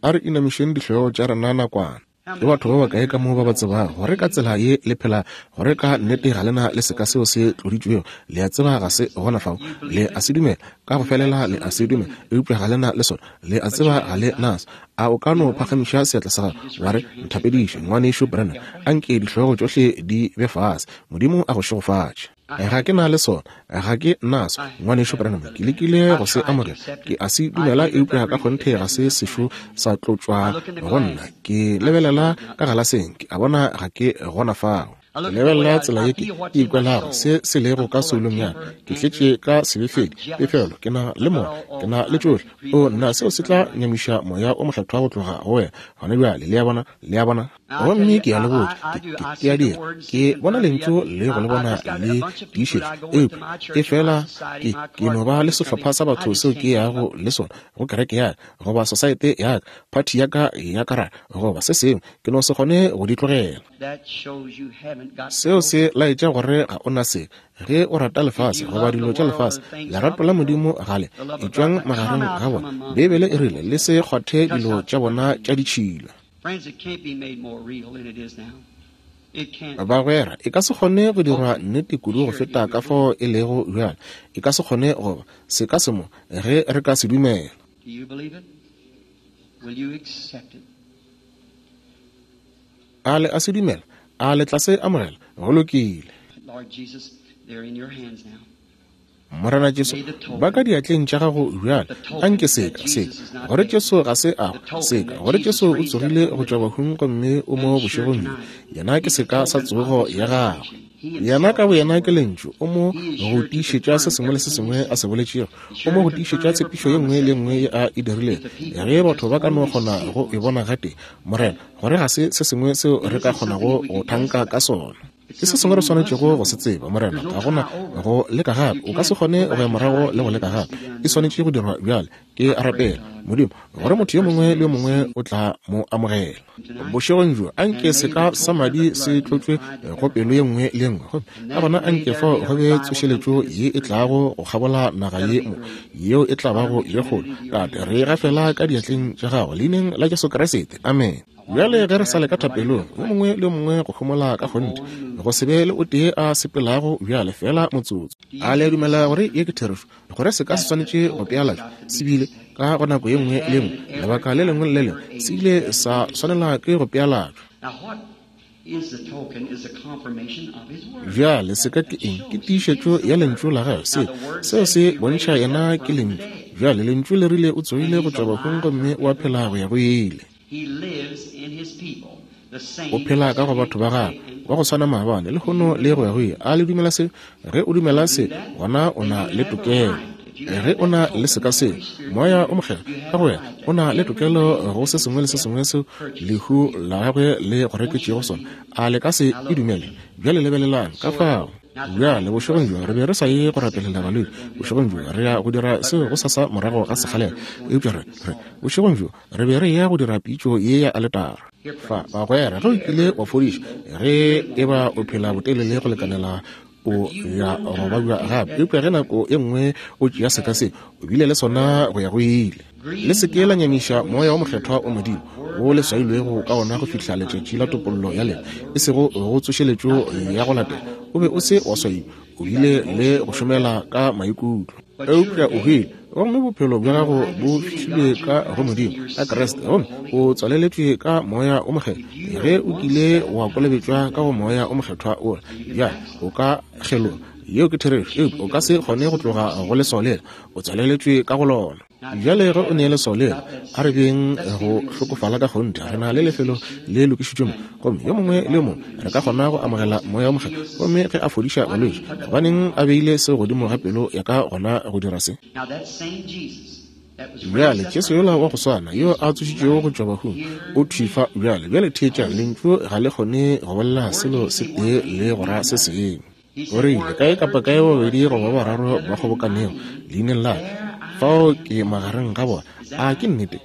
S1: A re inamišeng dihlogo tša rena nakwana. Ke batho ba bakae ka mo ba ba tsebago gore ka tsela ye le phela, gore ka nnete ga lena le seka seo se tloditšwego? Le a tseba ga se gona fao. Le a se dumela, ka go felela le a se dumela, eupša ga lena le sona. Le a tseba ga le naso. A o ka no phagamiša seatla sa gago, wa re, Nthapediše, Ngwanešu Branham. Anke dihlogo tšohle di be fase. Modimo a go šegofatše. Ga ke na le sona. Ga ke naso, Ngwanešu Branham. Ke lekile go se amogela. Ke a se dumela, eupša ka kgonthe ga se sešo sa tlotšwa go nna. Ke lebelela ka galaseng, ke a bona ga ke gona fao. Ke lebelela tsela ye ke ikwelago se se lego ka soulong ya ka. Ke tletše ka sebefedi, pefelo, ke na le mona, ke na le tšohle. O, nna, seo se tla nyamiša Moya o Mokgethwa go tloga go wena gona bjale. Le a bona? Le a bona? Gomme ke a le botša, ke, ke, ke a dira. Ke bona Lentšu le go le bona le tiišetšwa. Eupša, efela, ke, ke no ba le sehlopha sa batho seo ke yago le sona go kereke ya ka, goba sosaete ya ka, phathi ya ka ya karata, goba se sengwe. Ke no se kgone go di tlogela. Seo se laetša gore ga o na seka. Ge o rata lefase goba dilo tša lefase, lerato la Modimo ga le. Etšwang magareng ga bona. Beibele e rile, Le se kgwathe dilo tša bona tša ditšhila. Bagwera, e ka se kgone go dirwa nnete kudu go feta ka fao e lego bjale. E ka se kgone go ba. Se ka se mo, ge re ka se dumela. A le a se dumela? A le tla se amogela? Go lokile. Morena Jesu, ba ka diatleng tša gago bjale. Anke seka, seka, gore Jesu ga se a hwa, seka, gore Jesu o tsogile go tšwa bahung gomme o mo bošegong bjo. Yena ke seka sa tsogo ya gagwe. Yena ka boyena ke Lentšu. O mo go tiišetša se sengwe le se sengwe a se boletšego. O mo go tiišetša tshepišo ye nngwe le ye nngwe ye a e dirilego. Ge batho ba ka no kgona go e bona gatee, Morena, gore ga se se sengwe seo re ka kgonago go thanka ka sona. Ke se sengwe re swanetšego go se tseba, Morena. Ga go na go leka gape. O ka se kgone go ya morago le go leka gape. E swanetše go dirwa bjale. Ke a rapela, Modimo, gore motho yo mongwe le yo mongwe o tla mo amogela. Bošegong bjo, anke seka sa madi se tlotšwe go pelo ye nngwe le ye nngwe. Gomme ka gona anke fao go be tsošeletšo ye e tlago go kgabola naga ye mo, yeo e tla bago ye kgolo. Tate, re e gafela ka diatleng tša Gago, Leineng la Jesu Kriste. Amene. Bjale ge re sa le ka thapelong, yo mongwe le yo mongwe go homola ka kgonthe, go se be le o tee a sepelago bjale, feela motsotso. A le a dumela gore ye ke therešo, gore se ka se swanetše go pealatšwa? Se bile, ka go nako ye nngwe le ye nngwe, lebaka le lengwe le le lengwe, se ile sa swanela ke go pealatšwa. Bjale seka ke eng? Ke tiišetšo ya Lentšu la Gagwe. Se, seo se bontšha Yena ke Lentšu. Bjale Lentšu le rile O tsogile go tšwa bahung gomme o a phela go ya go ile. O phela ka go batho ba gagwe, wa go swana maabane, lehono le go ya go ile. A le dumela se? Ge o dumela se, gona o na le tokelo. Ge o na le seka seo, Moya o Mokgethwa ka go wena, o na le tokelo go se sengwe le se sengwe seo lehu la gagwe le go reketšego sona. A le ka se e dumele? Bjale lebelelang ka fao. Bjale, bošegong bjo re be re sa ye go rapelela balwetši. Bošegong bjo re ya go dira seo gosasa morago ga sekgalela. Eupša re, re, bošegong bjo re be re ya go dira pitšo ye ya aletara. Fa, bagwera, ge o kile wa fodišwa, ge eba o phela botelele go lekanela o ya go babja gape. Eupša ge nako e nngwe o tšea seka se, o bile le sona go ya go ile. Le se ke la nyamiša Moya wo Mokgethwa wa Modimo, wo le swailwego ka wona go fihla letšatši la topollo ya lena, e sego go tsošeletšo ya go latela. O be o se wa swaiwa, o bile le go šomela ka maikutlo. Eupša o hwile, gomme bophelo bja gago bo fihlilwe ka go Modimo, ka Kriste, gomme o tswaleletšwe ka Moya wo Mokgethwa. Ge o kile wa kolobetšwa ka go Moya wo Mokgethwa wola, bjale o ka kgeloga. Yeo ke therešo, eupša o ka se kgone go tloga go leswao lela. O tswaleletšwe ka go lona. Bjale ge o ne leswao lela, a re beng go hlokofala ka kgonthe. Re na le lefelo le lokišitšwe mo, gomme yo mongwe le yo mongwe re ka kgona go amogela Moya wo Mokgethwa. Gomme ge a fodiša balwetši, gobaneng a beile seo godimo ga pelo ya ka gona go dira se? Bjale, Jesu yola wa go swana yo a tsošitšwego go tšwa bahung o thwi fa bjale. Bjale theetšang, Lentšu ga le kgone go bolela selo se tee le go ra se sengwe. O rile, Kae kapa kae babedi goba ba bararo ba kgobokanego leineng la ka, fao ke magareng ga bona. A ke nnete?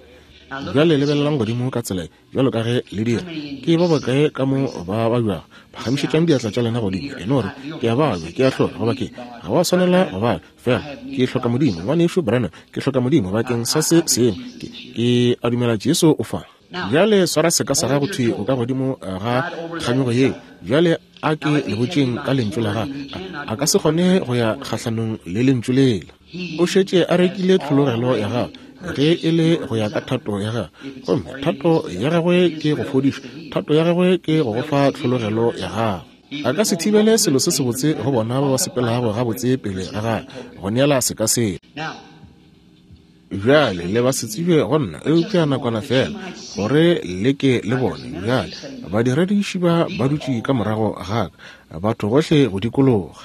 S1: Bjale lebelelang godimo ka tsela ye, bjalo ka ge le dira. Ke ba bakae ka mo ba babjago? Phagamišetšang diatla tša lena godimo. E no re, Ke a babja, ke a hlora, goba ke, ga wa swanela go babja. Fela, ke hloka Modimo. Ngwanešu Branham, ke hloka Modimo bakeng sa se sengwe. Ke, ke a dumela Jesu o fa. Bjale swara seka sa gago thwi go ka godimo ga kganyogo yeo. Bjale a ke le botšeng ka lentšu la gagwe. A ka se kgone go ya kgahlanong le lentšu lela. O šetše a rekile tlhologelo ya gagwe ge e le go ya ka thato ya gagwe. Gomme thato ya gagwe ke go fodiša. Thato ya gagwe ke go go fa tlhologelo ya gagwe. A ka se thibele selo se sebotse go bona ba ba sepelago gabotse pele ga gagwe go neela seka sela. Bjale le ba se tsebe go nna, eupša nakwana feela, gore le ke le bone. Bjale, badirediši ba ba dutše ka morago ga ka, batho gohle go dikologa.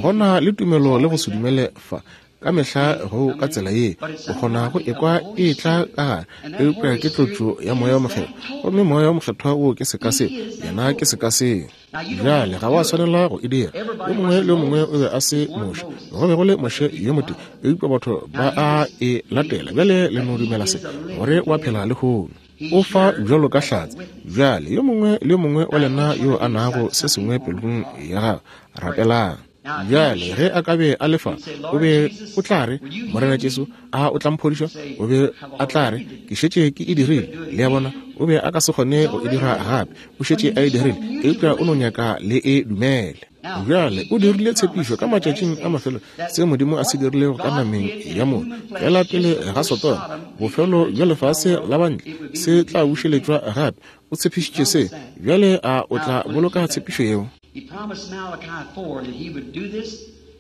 S1: Go na le tumelo le go se dumele fa. Ka mehla go ka tsela ye, o kgona go ekwa e etla ka gare, eupša ke tlotšo ya Moya wo Mokgethwa. Gomme Moya wo Mokgethwa wo ke seka seo, Yena ke seka seo. Bjale ga wa swanela go e dira. Yo mongwe le yo mongwe o be a se Moshe. Go be go le Moshe yo motee, eupša batho ba a e latela. Bjale le no dumela se, gore o a phela lehono. O fa bjalo ka hlatse. Bjale yo mongwe le yo mongwe wa lena yo a nago se sengwe pelong ya gagwe, rapelang. Bjale, ge a ka be a le fa, o be o tla re, Morena Jesu, a o tla mphodiša? O be a tla re, Ke šetše ke e dirile. Le a bona, o be a ka se kgone go e dira gape. O šetše a e dirile, eupša o no nyaka le e dumele. Bjale, o dirile tshepišo ka matšatšing a mafelo, se Modimo a se dirilego ka nameng ya motho, feela pele ga Sodoma, bofelo bja lefase la bantle, se tla bušeletšwa gape. O tshepišitše se. Bjale a o tla boloka tshepišo yeo?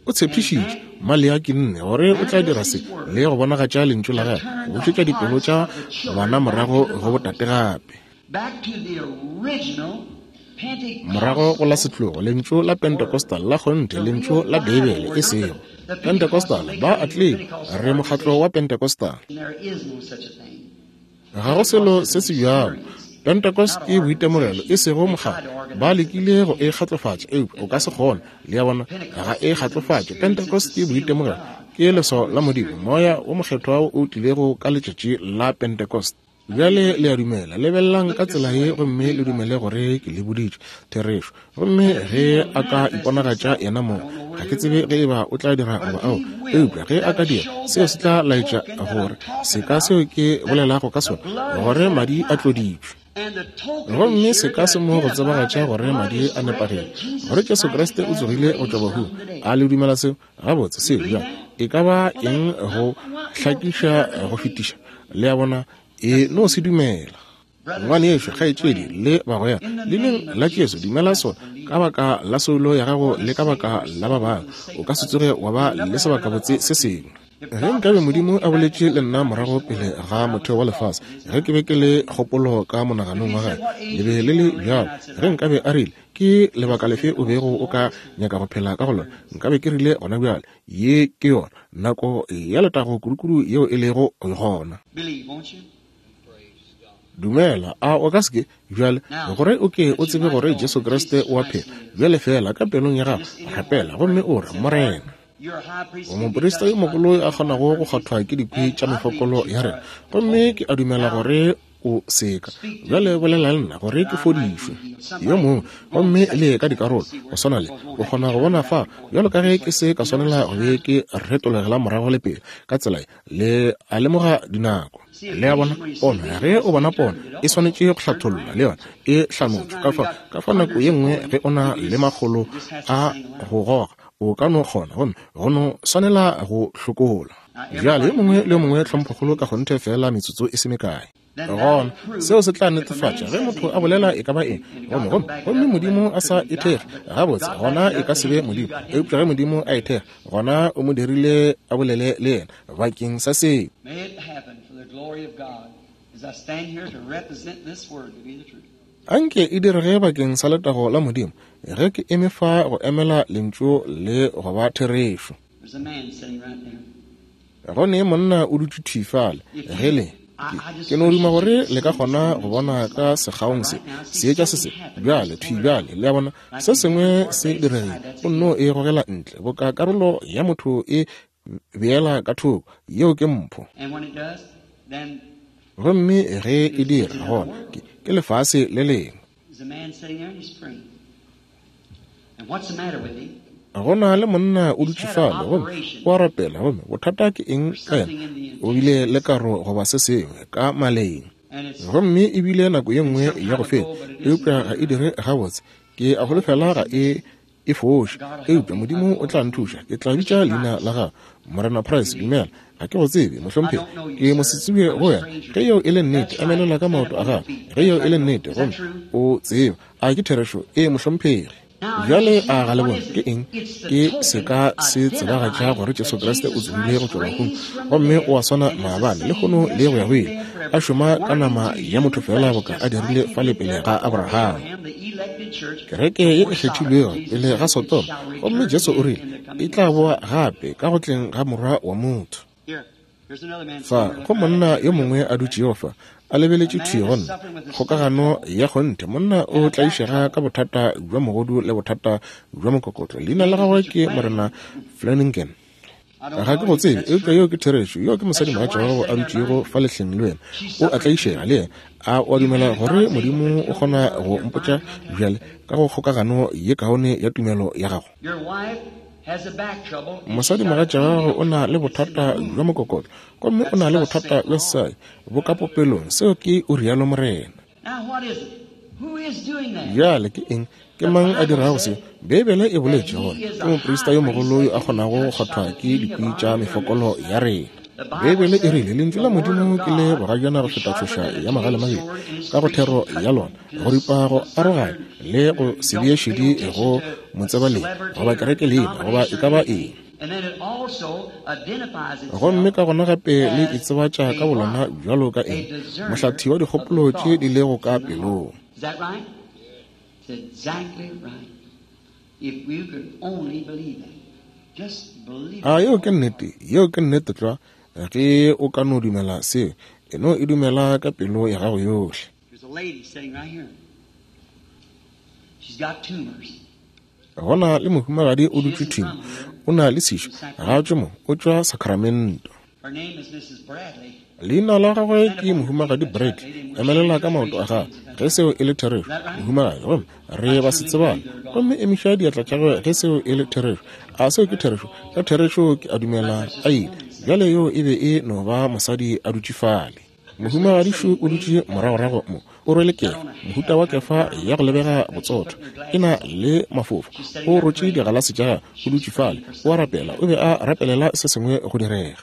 S1: O tshepišitše Maleaki 4 gore o tla dira se le go bonagatša lentšu la gagwe, go bušetša dipelo tša bana morago go botate gape. Morago go la setlogo, lentšu la Pentecostal la kgonthe, lentšu la Beibele, e sego Pentecostal, ba a tlile, re mokgatlo wa Pentecostal. Ga go selo se se bjalo. Pentecost ke boitemogelo, e sego mokgatlo. Ba lekile go e kgatlofatša, eupša o ka se kgone. Le a bona? Ga e kgatlofatše. Pentecost ke boitemogelo, ke leswao la Modimo, Moya wo Mokgethwa wo o tlilego ka letšatši la Pentecost. Bjale le a dumela. Lebelelang ka tsela ye gomme le dumele gore ke le boditše therešo. Gomme ge a ka iponagatša yena mong, ga ke tsebe ge eba o tla dira goba ao, eupša ge a ka dira, seo se tla laetša gore seka seo ke bolelago ka sona, gore madi a tloditšwe. Gomme seka se mo go tsebagatša gore madi a nepagetše, gore Jesu Kriste o tsogile go tšwa bahung. A le dumela seo? Gabotse, seo bjang? E ka ba eng go hlakiša go fetiša? Le a bona? E no se dumela. Ngwanešu, kgaetšedi, le bagwera, leineng la Jesu, dumela sona, ka baka la soulo ya gago le ka baka la ba bangwe. O ka se tsoge wa ba le sebakabotse se sengwe. Ge nkabe Modimo a boletše le nna morago pele ga motheo wa lefase, ge ke be ke le kgopolo ka monaganong wa gagwe, le be le le bjalo, ge nkabe a rile, Ke lebaka lefe o bego o ka nyaka go phela ka go lona, nkabe ke rile gona bjale, ye ke yona nako ya letago kudukudu yeo e lego gona. Dumela, a o ka se ke? Bjale, gore o ke o tsebe gore Jesu Kriste o a phela, bjale feela ka pelong ya gago rapela gomme o re, Morena, o moprista yo mogolo yo a kgonago go kgwathwa ke dikwi tša mefokolo ya rena, gomme ke a dumela gore o seka. Bjale bolela le nna gore ke fodišwe. Yo mongwe, gomme le ka dikarolo, go swana le, o kgona go bona fa, bjalo ka ge ke se ka swanela go be ke retologela morago le pele, ka tsela ye, le a lemoga dinako. Le a bona, pono, ge o bona pono, e swanetše go hlathollwa, le yona, e hlanotšwe. Ka fao, ka fao nako ye nngwe ge o na le makgolo a go goga, o ka no kgona, gomme go no swanela go hlokola. Bjale, yo mongwe le yo mongwe tlhomphokgolo ka kgonthe feela metsotso e se mekae. Gona, seo se tla netefatša ge motho a bolela e ka ba eng, gomme, gomme, gomme Modimo a sa e thekge, gabotse, gona e ka se be Modimo. Eupša ge Modimo a e thekga, gona o mo dirile a bolele le yena bakeng sa seo. Anke e direge bakeng sa letago la Modimo, ge ke eme fa go emela Lentšu le go ba therešo. Go ne monna o dutše thwi fale. Ge le, ke, ke no duma gore le ka kgona go bona ka sekgaong se, seetša se se bjale, thwi bjale, le a bona, se sengwe se diregile. O nno e gogela ntle, boka karolo ya motho e beela ka thoko. Yeo ke mpho. Gomme ge e dira, gona ke, ke lefase le lengwe. Go na le monna o dutše fale gomme o a rapela, gomme bothata ke eng ka yena? O bile le karo goba se sengwe ka maleng. Gomme e bile nako ye nngwe ya go feta, eupša ga e dire gabotse. Ke a holofela ga e e foše, eupša Modimo o tla nthuša. Ke tla bitša leina la gago. Morena Price, dumela. Ga ke go tsebe, mohlomphegi. Ke mosetsebje go wena. Ge yeo e le nnete, emelela ka maoto a gago. Ge yeo e le nnete, gomme o tseba. A ke therešo? Ee, mohlomphegi. Bjale a ga le bone ke eng? Ke seka se tsebagatša gore Jesu Kriste o tsogile go tšwa bahung, gomme o a swana maabane, lehono le go ya go ile, a šoma ka nama ya motho feela boka a dirile fale pele ga Abraham. Kereke ye e kgethilwego pele ga Sodoma, gomme Jesu o rile e tla boa gape ka go tleng ga Morwa wa motho. Fa go monna yo mongwe a dutšego fa, a lebeletše thwi go nna, kgokagano ya kgonthe. Monna o tlaišega ka bothata bja mogodu le bothata bja mokokotlo. Leina la gagwe ke Morena Flanagan. Ga ke go tsebe, eupša yeo ke therešo. Yo ke mosadi mogatša wa gago a dutšego fa lehleng le wena. O a tlaišega le yena. A o a dumela gore Modimo o kgona go mpotša bjale ka go kgokagano ye kaone ya tumelo ya gago? Mosadimogatša wa gago o na le bothata bja mokokotlo, gomme o na le bothata bja sesadi bo ka popelong. Seo ke o rialo morena. Bjale ke eng? Ke mang a dirago se? Beibele e boletše gore ke moprista yo mogolo yo a kgonago go kgwathwa ke dikwi tša mefokolo ya rena. Beibele e rile lentšu la Modimo ke le bogajana go feta tšhoša ya magalemabedi ka go thero ya lona, go ripa go aroganya le go se bee šedi go motsebaleng goba kereke leina goba e ka ba eng. Gomme ka gona gape le itsebatša ka bolona bjalo ka eng? Mohlathi wa dikgopolo tše di lego ka pelong. A yeo ke nnete? Yeo ke nnete tlwa. Ge o ka no dumela seo, e no e dumela ka pelo ya gago yohle. Go na le mohumagadi o dutše thwi mo, o na le sešo, ga a tšwe mo, o tšwa Sacramento. Leina la gagwe ke Mohumagadi Bradley. Emelela ka maoto a gago, ge seo e le therešo, mohumagadi. Gomme re ba se tsebana. Gomme emiša diatla tša gagwe ge seo e le therešo. A seo ke therešo? Ka therešo ke a dumela a ile. Bjale yoo e be e no ba mosadi a dutše fale. Mohumagadi šo o dutše moragorago mo, o rwele kefa, mohuta wa kefa ya go lebega botsotho, e na le mafofa. O rotše digalase tša gagwe, o dutše fale, o a rapela, o be a rapelela se sengwe go direga.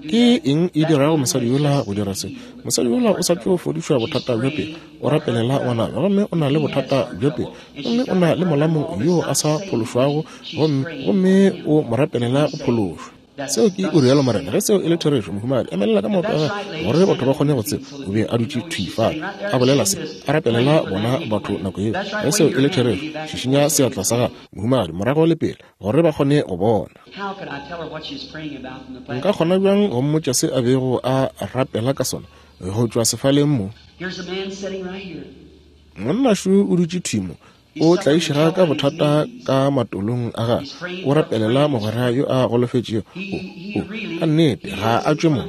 S1: Ke eng e dirago mosadi yola go dira se? Mosadi yola o sa tšo fodišwa bothata bja pelo, o rapelela ngwanabo, gomme o na le bothata bja pelo, gomme o na le molamo yo a sa phološwago, gomme, gomme o mo rapelela go phološwa. Seo ke o rialo Morena. Ge seo e le therešo, mohumagadi, emelela ka maoto a gagwe gore batho ba kgone go tseba. O be a dutše thwi fale, a bolela se, a rapelela bona batho nako yeo. Ge seo e le therešo, šišinya seatla sa gago, mohumagadi, morago le pele, gore ba kgone go bona. Nka kgona bjang go mmotša se a bego a rapela ka sona go tšwa sefaleng mo? Monna šo o dutše thwi mo, o tlaišega ka bothata ka matolong a gagwe, o rapelela mogwera yo a golofetšego. O, o, ka nnete, ga a tšwe mo.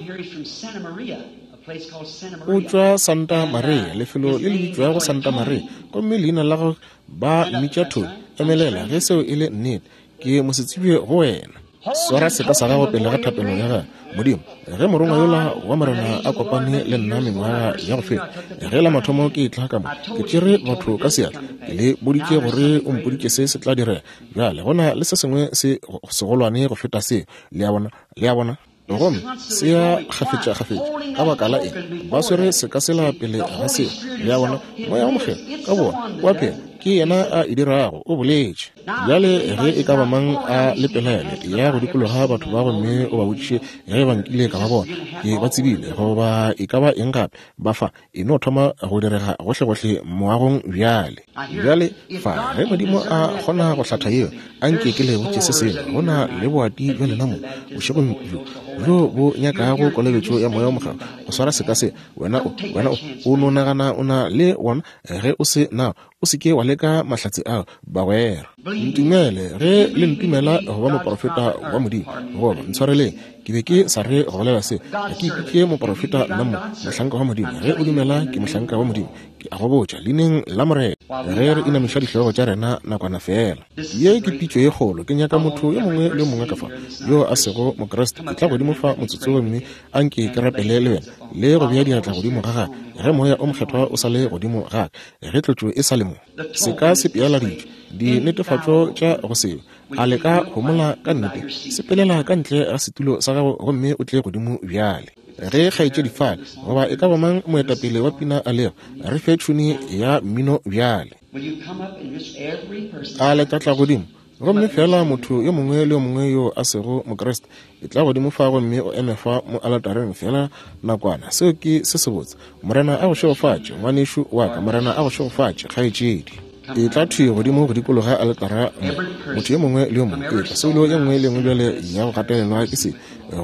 S1: O tšwa Santa Maria, lefelo le le bitšwago Santa Maria, gomme leina la gagwe ba mmitša Tony. Emelela, ge seo e le nnete. Ke mosetsebje go wena. Swara seka sa gago pele ga thapelo ya gago. Modimo, ge morongwa yola wa Morena a kopane le nna mengwaga ya go feta, ge la mathomo ke etla ka mo, ke tšere batho ka seatla, ke le boditše gore o mpoditše se se tla direga. Bjale go na le se sengwe se segolwane go feta seo. Le a bona? Le a bona? Gomme se ya kgafetšakgafetša. Ka baka la eng? Ba swere seka sela pele ga seo. Le a bona? Moya wo Mokgethwa ka bona o a phela. Ke yena a e dirago. O boletše. Bjale ge e ka ba mang a le pelaelo, ya go dikologa batho ba gomme o ba botšiše ge ba nkile ka ba bona. Ke ba tsebile, goba e ka ba eng gape, ba fa. E no thoma go direga gohlegohle moagong bjale. Bjale, fa, ge Modimo a kgona go hlatha yeo, a nke ke le botše se sengwe. Go na le boati bja lena mo, bošegong bjo, bjo bo nyakago kolobetšo ya Moya wo Mokgethwa, go swara seka se. Wena o, wena o, o no nagana o na le wona, ge o se nao. O se ke wa leka mahlatse ao, bagwera. Ntumele, ge le ntumela go ba moprofeta wa Modimo, goba ntshwareleng, ke be ke sa re go bolela se. Ga ke ipitše moprofeta nna mo, mohlanka wa Modimo. Ge o dumela ke mohlanka wa Modimo, ke a go botša, leineng la Morena. Ge re inamiša dihlogo tša rena nakwana feela. Ye ke pitšo ye kgolo. Ke nyaka motho yo mongwe le yo mongwe ka fa, yo a sego Mokriste, etla godimo fa motsotso gomme a nke ke rapele le wena, le go bea diatla godimo ga gagwe, ge Moya o Mokgethwa o sa le godimo ga ka. Ge tlotšo e sa le mo, se ka se pealaditšwe, dinetefatšo tša go se be. A le ka homola ka nnete? Sepelela ka ntle ga setulo sa gago gomme o tle godimo bjale. Ge kgaetšedi fale, goba e ka ba mang moetapele wa pina a lego, re fe tšhuni ya mmino bjale. A le tla tla godimo? Gomme feela motho yo mongwe le yo mongwe yo a sego Mokriste, etla godimo fa gomme o eme fa mo aletareng feela nakwana. Seo ke se sebotse. Morena a go šegofatše, ngwanešu wa ka. Morena a go šegofatše, kgaetšedi. Etla thwi godimo go dikologa aletara mo. Motho yo mongwe le yo mongwe, etla. Soulo ye nngwe le ye nngwe bjale ya go gatelelwa ke se,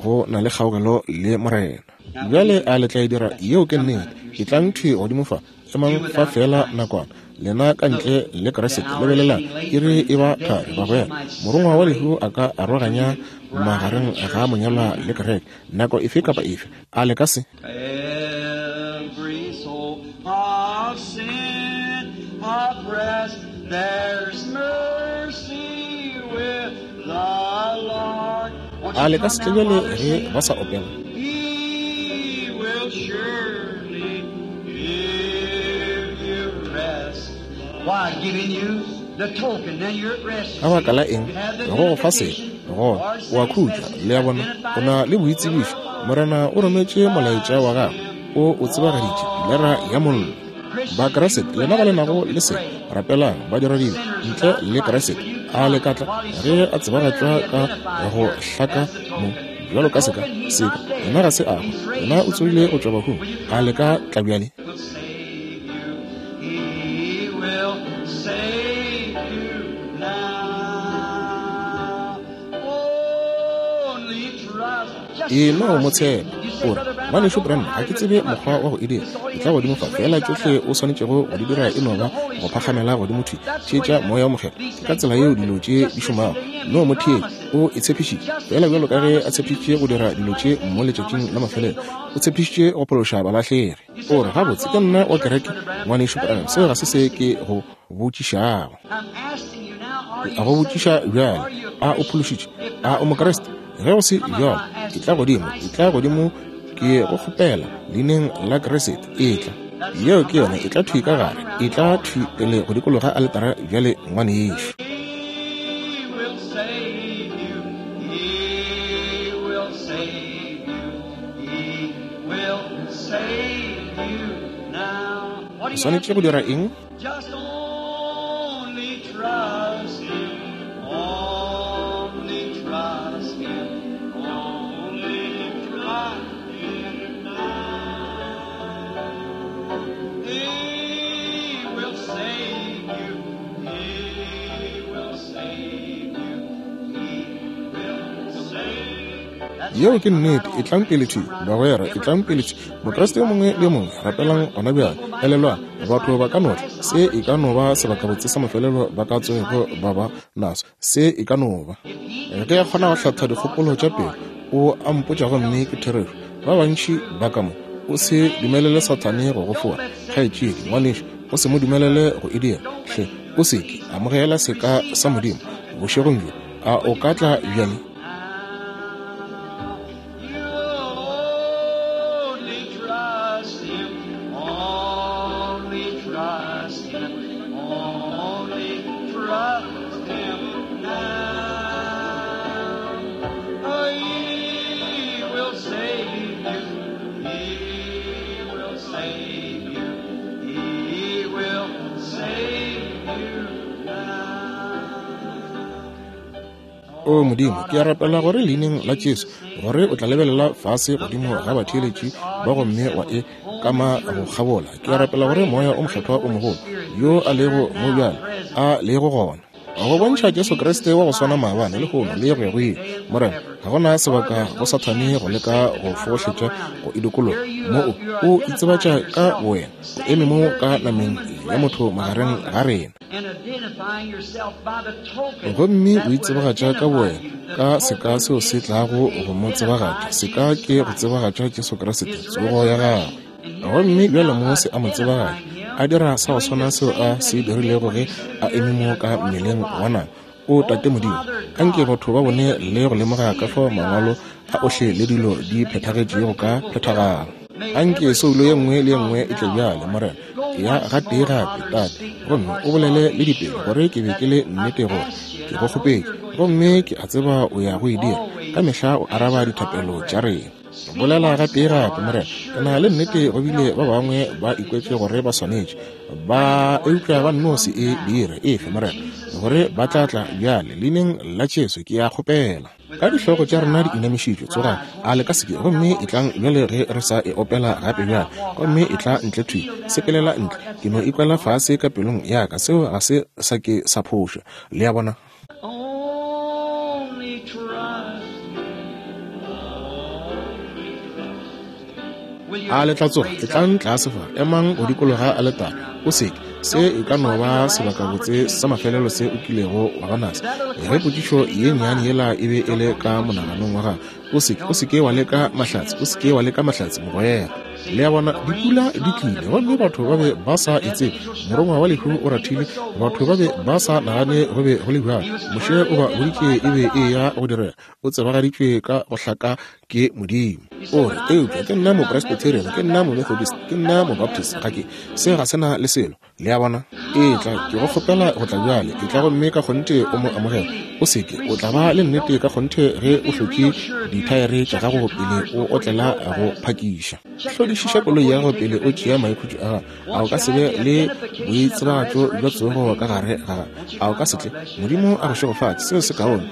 S1: go na le kgaogelo le Morena. Bjale a le tla e dira? Yeo ke nnete. Etlang thwi godimo fa. Emang fa feela nakwana, lena ka ntle le Kriste. Lebelelang, iri e ba thari, bagwera. Morongwa wa lehu a ka aroganya magareng ga monyalwa le kereke nako efe kapa efe. A le ka se?
S2: Every soul of sin oppressed, there's mercy with the Lord. Won't
S1: A
S2: you
S1: le ka
S2: come
S1: se tle
S2: now
S1: bjale
S2: while they're
S1: ge
S2: singing?
S1: ba sa opela?
S2: He will surely give you rest. Why, giving you the token, then you're at rest, you
S1: Ka baka
S2: see.
S1: la eng?
S2: You have the
S1: Go go fa seka,
S2: identification.
S1: gona
S2: Lord
S1: o a
S2: sent his
S1: khutša.
S2: message,
S1: Le a bona, o
S2: identified
S1: na
S2: it,
S1: le
S2: the
S1: boitsebišo.
S2: word of
S1: Morena o rometše molaetša wa gagwe, o o tsebagaditše, pilara ya mollo.
S2: Christians,
S1: Bakriste,
S2: you
S1: lena ba
S2: have
S1: le
S2: the
S1: nago
S2: token,
S1: le se,
S2: pray.
S1: rapelang, badiradibe,
S2: Sinners
S1: ntle
S2: without
S1: le
S2: Christ,
S1: Kriste,
S2: will you
S1: a le
S2: come
S1: ka tla
S2: while he's
S1: ge
S2: so
S1: a tsebagatšwa
S2: clearly
S1: ka
S2: identified
S1: go
S2: here
S1: hlaka
S2: as the
S1: mo
S2: token?
S1: bjalo
S2: The
S1: ka seka,
S2: token, he's
S1: seka,
S2: not dead.
S1: yena ga se a hwa,
S2: He's
S1: yena
S2: raised
S1: o
S2: from the
S1: tsogile go
S2: dead.
S1: tšwa bahung.
S2: Will you
S1: A le
S2: come
S1: ka
S2: now?
S1: tla bjale?
S2: Will save you. He will save you now. Only trust. Just
S1: E no mo
S2: trust him.
S1: tshepa.
S2: You say,
S1: O re,
S2: Brother Branham, I
S1: Ngwanešu
S2: don't know
S1: Branham,
S2: how
S1: ga
S2: to
S1: ke
S2: do it.
S1: tsebe
S2: Come up
S1: mokgwa
S2: here.
S1: wa go e dira.
S2: This all
S1: Ke
S2: you
S1: tla
S2: have to do
S1: godimo
S2: is
S1: fa.
S2: raise
S1: Feela
S2: right
S1: tšohle
S2: up.
S1: o swanetšego go di
S2: Just
S1: dira e
S2: listen
S1: no
S2: to the
S1: ba
S2: Holy
S1: go
S2: Spirit.
S1: phagamela godimo thwi.
S2: That's the way
S1: Theetša
S2: that
S1: Moya wo Mokgethwa.
S2: these
S1: Ke ka
S2: things
S1: tsela yeo
S2: work.
S1: dilo tše
S2: Just
S1: di
S2: listen
S1: šomago.
S2: to him.
S1: No
S2: He
S1: mo theetše.
S2: promised it.
S1: O e tshepišitše.
S2: Just
S1: Feela
S2: as he
S1: bjalo ka ge a
S2: promised to do
S1: tshepišitše
S2: these
S1: go dira
S2: things in the
S1: dilo
S2: last
S1: tše
S2: days,
S1: mo
S2: he
S1: letšatšing
S2: promised
S1: la
S2: to save
S1: mafelelo.
S2: the
S1: O
S2: lost.
S1: tshepišitše go phološa balahlegi.
S2: You say,
S1: O re,
S2: Well, I
S1: Gabotse, ke
S2: belong to
S1: nna
S2: the
S1: wa
S2: church,
S1: kereke,
S2: Brother Branham.
S1: Ngwanešu
S2: That ain't
S1: Branham.
S2: what
S1: Seo ga
S2: I'm
S1: se se
S2: asking
S1: ke
S2: you.
S1: go botšišago.
S2: I'm asking you now, are
S1: Ke
S2: you
S1: a go botšiša
S2: saved?
S1: bjale,
S2: Are you a
S1: a o
S2: Christian?
S1: phološitšwe?
S2: If
S1: A
S2: not,
S1: o
S2: come
S1: Mokriste?
S2: up.
S1: Ge go se
S2: Come up,
S1: bjalo,
S2: I
S1: ke
S2: ask
S1: tla
S2: you in
S1: godimo, ke
S2: Christ's
S1: tla
S2: name.
S1: godimo, ke go kgopela, leineng la Kriste, etla.
S2: That's
S1: Yeo
S2: come
S1: ke yona,
S2: right
S1: etla
S2: in.
S1: thwi
S2: Come
S1: ka
S2: right
S1: gare,
S2: on around the
S1: etla
S2: altar
S1: thwi
S2: now.
S1: pele go dikologa aletara bjale, ngwanešu.
S2: He will save you. He will save you. He will save you now. What
S1: O
S2: do you have
S1: swanetše
S2: to
S1: go dira
S2: do?
S1: eng?
S2: Just only trust Him. Only trust Him.
S1: Yeo ke nnete. Etlang pele thwi, bagwera. Etlang pele thwi. Mokriste yo mongwe le yo mongwe, rapelang gona bjale. Elelwang, batho ba ka no tla. Se e ka no ba sebakabotse sa mafelelo ba ka tsogego ba ba naso. Se e ka no ba. Ge a kgona go hlatha dikgopolo tša pelo, o a mpotša gomme ke therešo. Ba bantši ba ka mo. O se dumelele Sathane go go fora, kgaetšedi, ngwanešu. O se mo dumelele go e dira. Hle, o se ke. Amogela seka sa Modimo bošegong bjo. A o ka tla bjale? O Modimo, ke a rapela gore Leineng la Jesu, gore o tla lebelela fase godimo ga batheeletši ba gomme wa e kama go kgabola. Ke a rapela gore Moya o Mokgethwa o mogolo, yo a lego mo bjale, a lego gona, go bontšha Jesu Kriste wa go swana maabane, lehono, le go ya go ile. Morena, ga go na sebaka go Sathane go leka go fohletša go e dikologa. Mo o, o itsebatša ka bowena, o eme mo ka nameng ya motho magareng ga rena. Gomme o itsebagatša ka bowena ka seka seo se tlago go mo tsebagatša. Seka ke go tsebagatša Jesu Kriste, tsogo ya gagwe. Gomme bjale mo se a mo tsebagatša, a dira sa go swana seo a se dirilego ge a eme mo ka mmeleng wa nama. O Tate Modimo, anke batho ba bone le go lemoga ka fao Mangwalo a ohle le dilo di phethagetšego ka phethagalo. Anke soulo ye nngwe le ye nngwe e tle bjale, Morena, ya gatee gape, Tate, gomme o bolele le dipelo gore ke be ke le nnete gore ke go kgopetše, gomme ke a tseba o ya go e dira. Ka mehla o araba dithapelo tša rena. Bolela gatee gape, Morena. Ke na le nnete go bile ba bangwe ba ikwetše gore ba swanetše, ba eupša ba nno se e dire. Efe, Morena, gore ba tla tla bjale. Leineng la Jesu ke a kgopela. Ka dihlogo tša rena di inamišitšwe, tsogang, a le ka se ke, gomme etlang bjale ge re sa e opela gape bjale. Gomme etla ntle thwi, sepelela ntle. Ke no ikwela fase ka pelong ya ka, seo ga se sa ke sa phošwa. Le a bona? A le tla tsoga? Etlang tlase fa, emang go dikologa aletare. O seke, se e ka no ba sebakabotse sa mafelelo se o kilego wa ba naso. Ge potšišo ye nnyane yela e be e le ka monaganong wa gago, o seke, o seke wa leka mahlatse, o seke wa leka mahlatse, mogwera. Le a bona, dipula di tlile, gomme batho ba be ba sa e tsebe. Morongwa wa lehu o rathile, batho ba be ba sa nagane go be go le bjalo. Moshe o ba boditše e be e ya go direga. O tsebagaditšwe ka go hlaka ke Modimo. O re, Eupša ke nna Mopresbyterian, ke nna Momethodist, ke nna Mobaptist. Ga ke. Se ga se na le selo. Le a bona? Etla, ke go kgopela go tla bjale. Etla gomme ka kgonthe o mo amogele. O se ke. O tla ba le nnete ka kgonthe ge o hlotše dithaere tša gago pele o otlela go phakiša. Hlodišiša koloi ya gago pele o tšea maikhutšo a gago. A o ka se be le boitsebagatšo bja tsogo ka gare ga gago? A o ka se tle? Modimo a go šegofatše. Seo se kaone.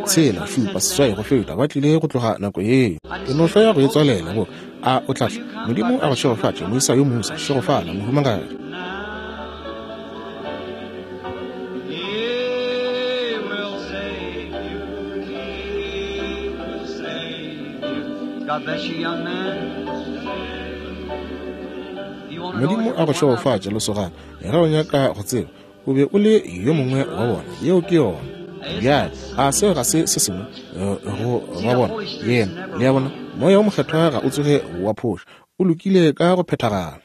S1: Tshela, šupa, seswai, go feta. Ba tlile go tloga nako yeo. Ke no hloya go e tswalela. Bo, a o tla tla? Modimo a go šegofatše, moisa yo mosa. Šegofala, mohumagadi.
S2: God bless you, young man.
S1: Modimo a go šegofatše, lesogana. Ge o nyaka go tseba, o be o le yo mongwe wa bona. Yeo ke yona. Bjale, a seo ga se se sengwe eh, go ba bona? Yena, le a bona, Moya wo Mokgethwa ga o tsoge wa phoša. O lokile ka go phethagala.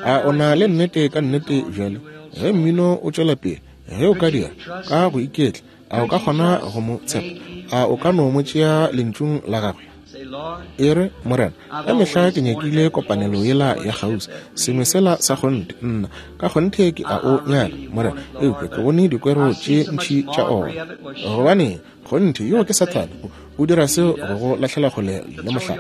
S1: A o na le nnete ka nnete bjale? Ge mmino o tšwela pele, ge o ka dira ka go iketla, a o ka kgona go mo tshepa? A o ka no mo tšea lentšung la gagwe? E re, Morena, ka mehla ke nyakile kopanelo yela ya kgauswi, sengwe sela sa kgonthe. Nna, ka kgonthe ke a o nyaka, Morena, eupša ke bone dikwero tše ntši tša ona. Gobaneng, Kgonthe, yoo ke Sathane. O, o dira seo go go lahlela kgole le mohlare.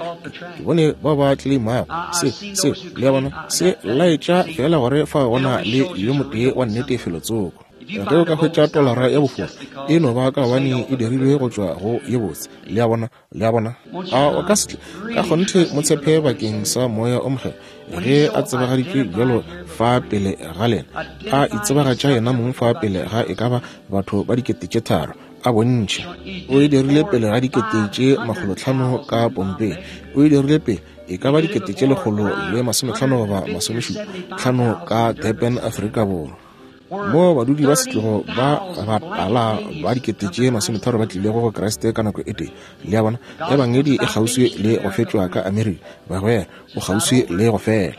S1: Ke bone bao ba tleimago se, seo, le a bona, se laetša feela gore fao go na le yo motee wa nnete felotsoko. Ge o ka hwetša tolara ya bofora, e no ba ka gobane e dirilwe go tšwa go ye botse. Le a bona? Le a bona? A o ka se tle ka kgonthe mo tshepe bakeng sa Moya o Mokgethwa ge a tsebagaditšwe bjalo fa pele ga lena, a itsebagatša yena mong fa pele ga e ka ba batho ba 3000, a bontšha. O e dirile pele ga 500,000 ka Pompei. O e dirile pele e ka ba 150 goba 75 ka Durban, Afrika Borwa, moo badudi ba setlogo ba batala ba 30,000 ba tlilego go Kriste ka nako e tee. Le a bona, Ebangedi e kgauswi le go fetšwa ka Amerika, bagwera, o kgauswi le go fela.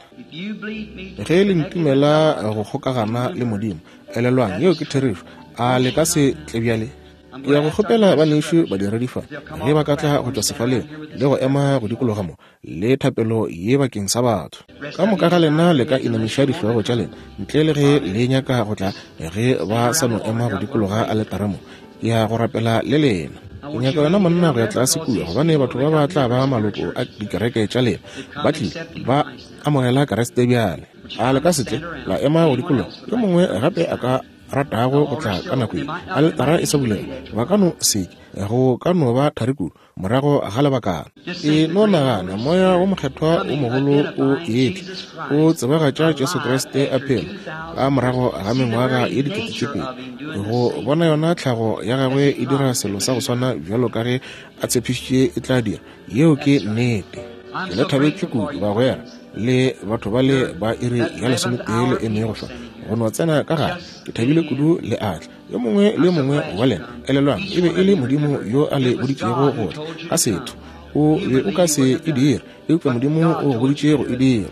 S1: Ge le ntumela go kgokagana le Modimo, elelwang, yeo ke therešo. A le ka se tle bjale? Ke ya go kgopela banešu badiredi fa, ge ba ka tla go tšwa sefaleng le go ema go dikologa mo, le thapelo ye bakeng sa batho. Ka moka ga lena le ka inamiša dihlogo tša lena, ntle le ge le nyaka go tla, ge ba sa no ema go dikologa aletara mo. Ke ya go rapela le lena. Ke nyaka wena monna go ya tlase kua, gobane batho ba ba tla ba maloko a dikereke tša lena. Ba tlile, ba amogela Kriste bjale. A le ka se tle la ema go dikologa? Yo mongwe gape a ka ratago go tla ka nako ye aletara e sa bulega, ba ka no se ke, go ka no ba thari kudu morago ga lebakana. E no nagana, Moya wo Mokgethwa wo mogolo o etla, o tsebagatša Jesu Kriste a phela ka morago ga mengwaga ye 2000, go bona yona tlhago ya gagwe e dira selo sa go swana bjalo ka ge a tshepišitše e tla dira. Yeo ke nnete. Ke le thabetše kudu, bagwera, le batho ba le ba iri ya lesometee le emego fa go no tsena ka gare. Ke thabile kudu le atla. Yo mongwe le yo mongwe wa lena, elelwang, e be e le Modimo yo a le boditšego go tla ka setho. O be o ka se e dire, eupša Modimo o go boditše go e dira.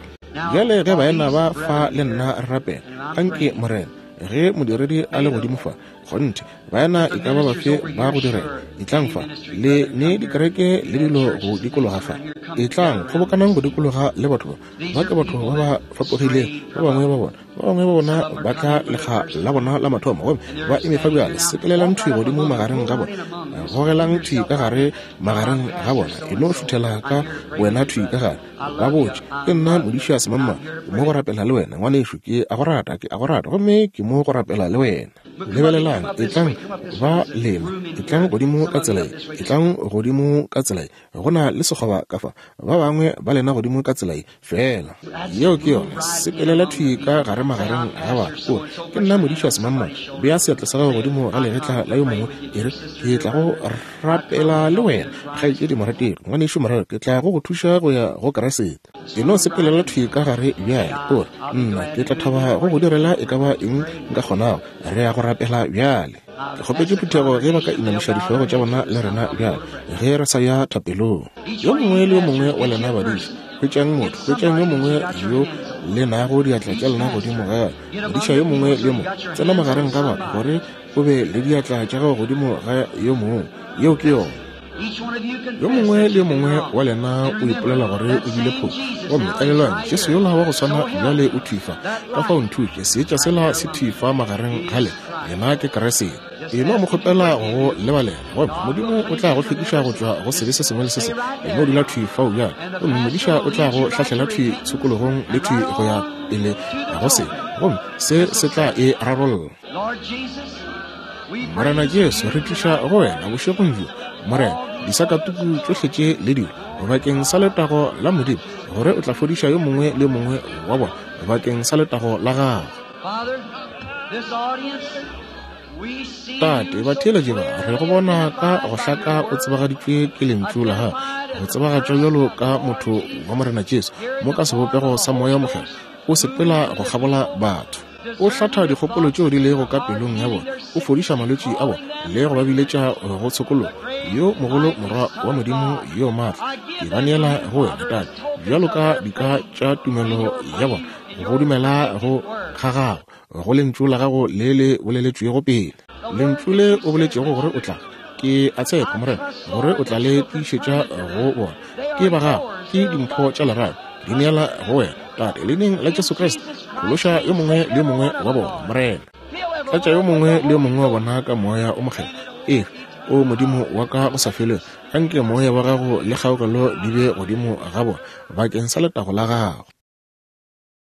S1: Bjale ge baena ba fa le nna re rapela, anke Morena, ge modiredi a le godimo fa, Kgonthe, baena e ka ba bafe ba go direla, etlang fa, le ne dikereke le dilo go dikologa fa. Etlang, kgobokanang go dikologa le batho ba. Ba ke batho ba ba fapogileng, ba bangwe ba bona. Ba bangwe ba bona ba tla lekga la bona la mathomo, gomme ba eme fa bjale. Sepelelang thwi godimo magareng ga bona. Gogelang thwi ka gare magareng ga bona. E no šuthela ka wena thwi ka gare. Ba botše, ke nna modiša semangmang, ke mo go rapela le wena, ngwanešu, ke a go rata, ke a go rata, gomme ke mo go rapela le wena. Lebelelang, etlang ba lena, etlang godimo ka tsela ye, etlang godimo ka tsela ye, go na le sekgoba ka fa, ba bangwe ba lena godimo ka tsela ye, feela yeo ke yona, sepelela thwi ka gare magareng ga batho, o re, ke nna modiša semangmang, bea seatla sa gago godimo ga legetla la yo mongwe, e re, ke tla go rapela le wena, kgaetšedi morategi, ngwanešu morategi, ke tla go go thuša go ya go Kriste. E no sepelela thwi ka gare bjale, o re, Nna, ke tla thaba go go direla e ka ba eng nka kgonago. Re ya go rapela bjale. Ke kgopetše phuthego ge ba ka inamiša dihlogo tša bona le rena bjale, ge re sa ya thapelong. Yo mongwe le yo mongwe wa lena badiša, hwetšang motho, hwetšang yo mongwe yo le nago diatla tša lena godimo ga gagwe. Modiša yo mongwe le yo mongwe, tsena magareng ga batho gore o be le diatla tša gago godimo ga yo mongwe. Yeo ke yona. Yo mongwe le yo mongwe wa lena o ipolela gore o bile phošo. Gomme elelwang, Jesu yola wa go swana bjale o thwi fa. Ka fao nthuše, seetša sela se thwi fa magareng ga lena. Yena ke Kriste. E no mo kgopela go go lebalela, gomme Modimo o tla go hlwekiša go tšwa go sebe se sengwe le se sengwe. E no dula thwi fao bjale, gomme modiša o tla go hlahlela thwi tshokologong le thwi go ya pele go se, gomme se se tla e rarolla. Morena Jesu, re tliša go wena bošegong bjo, Morena, disakatuku tšohle tše le dilo, bakeng sa letago la Modimo, gore o tla fodiša yo mongwe le yo mongwe wa bona, bakeng sa letago la gago. Tate, batheeletši ba, re go bona ka go hlaka o tsebagaditšwe ke Lentšu la gago, go tsebagatšwa bjalo ka motho wa Morena Jesu, mo ka sebopego sa Moya wo Mokgethwa, o sepela go kgabola batho. O hlatha dikgopolo tšeo di lego ka pelong ya bona, o fodiša malwetši a bona le go ba biletša go tshokologo. Yo mogolo Morwa wa Modimo yo maatla, ke ba neela go wena, Tate, bjalo ka dika tša tumelo ya bona, go dumela go ga gago, go Lentšu la gago le le boleletšwego pele. Lentšu le o boletšego gore o tla, ke a tshepa, Morena, gore o tla le tiišetša go bona. Ke ba gago, ke dimpho tša lerato, di neela go wena, Tate, Leineng la Jesu Kriste. Phološa yo mongwe le yo mongwe wa bona, Morena. Tlatša yo mongwe le yo mongwe wa bona ka Moya o Mokgethwa. Ee, o Modimo wa ka go sa felego, anke Moya wa Gago le kgaogelo di be godimo ga bona, bakeng sa letago la Gago.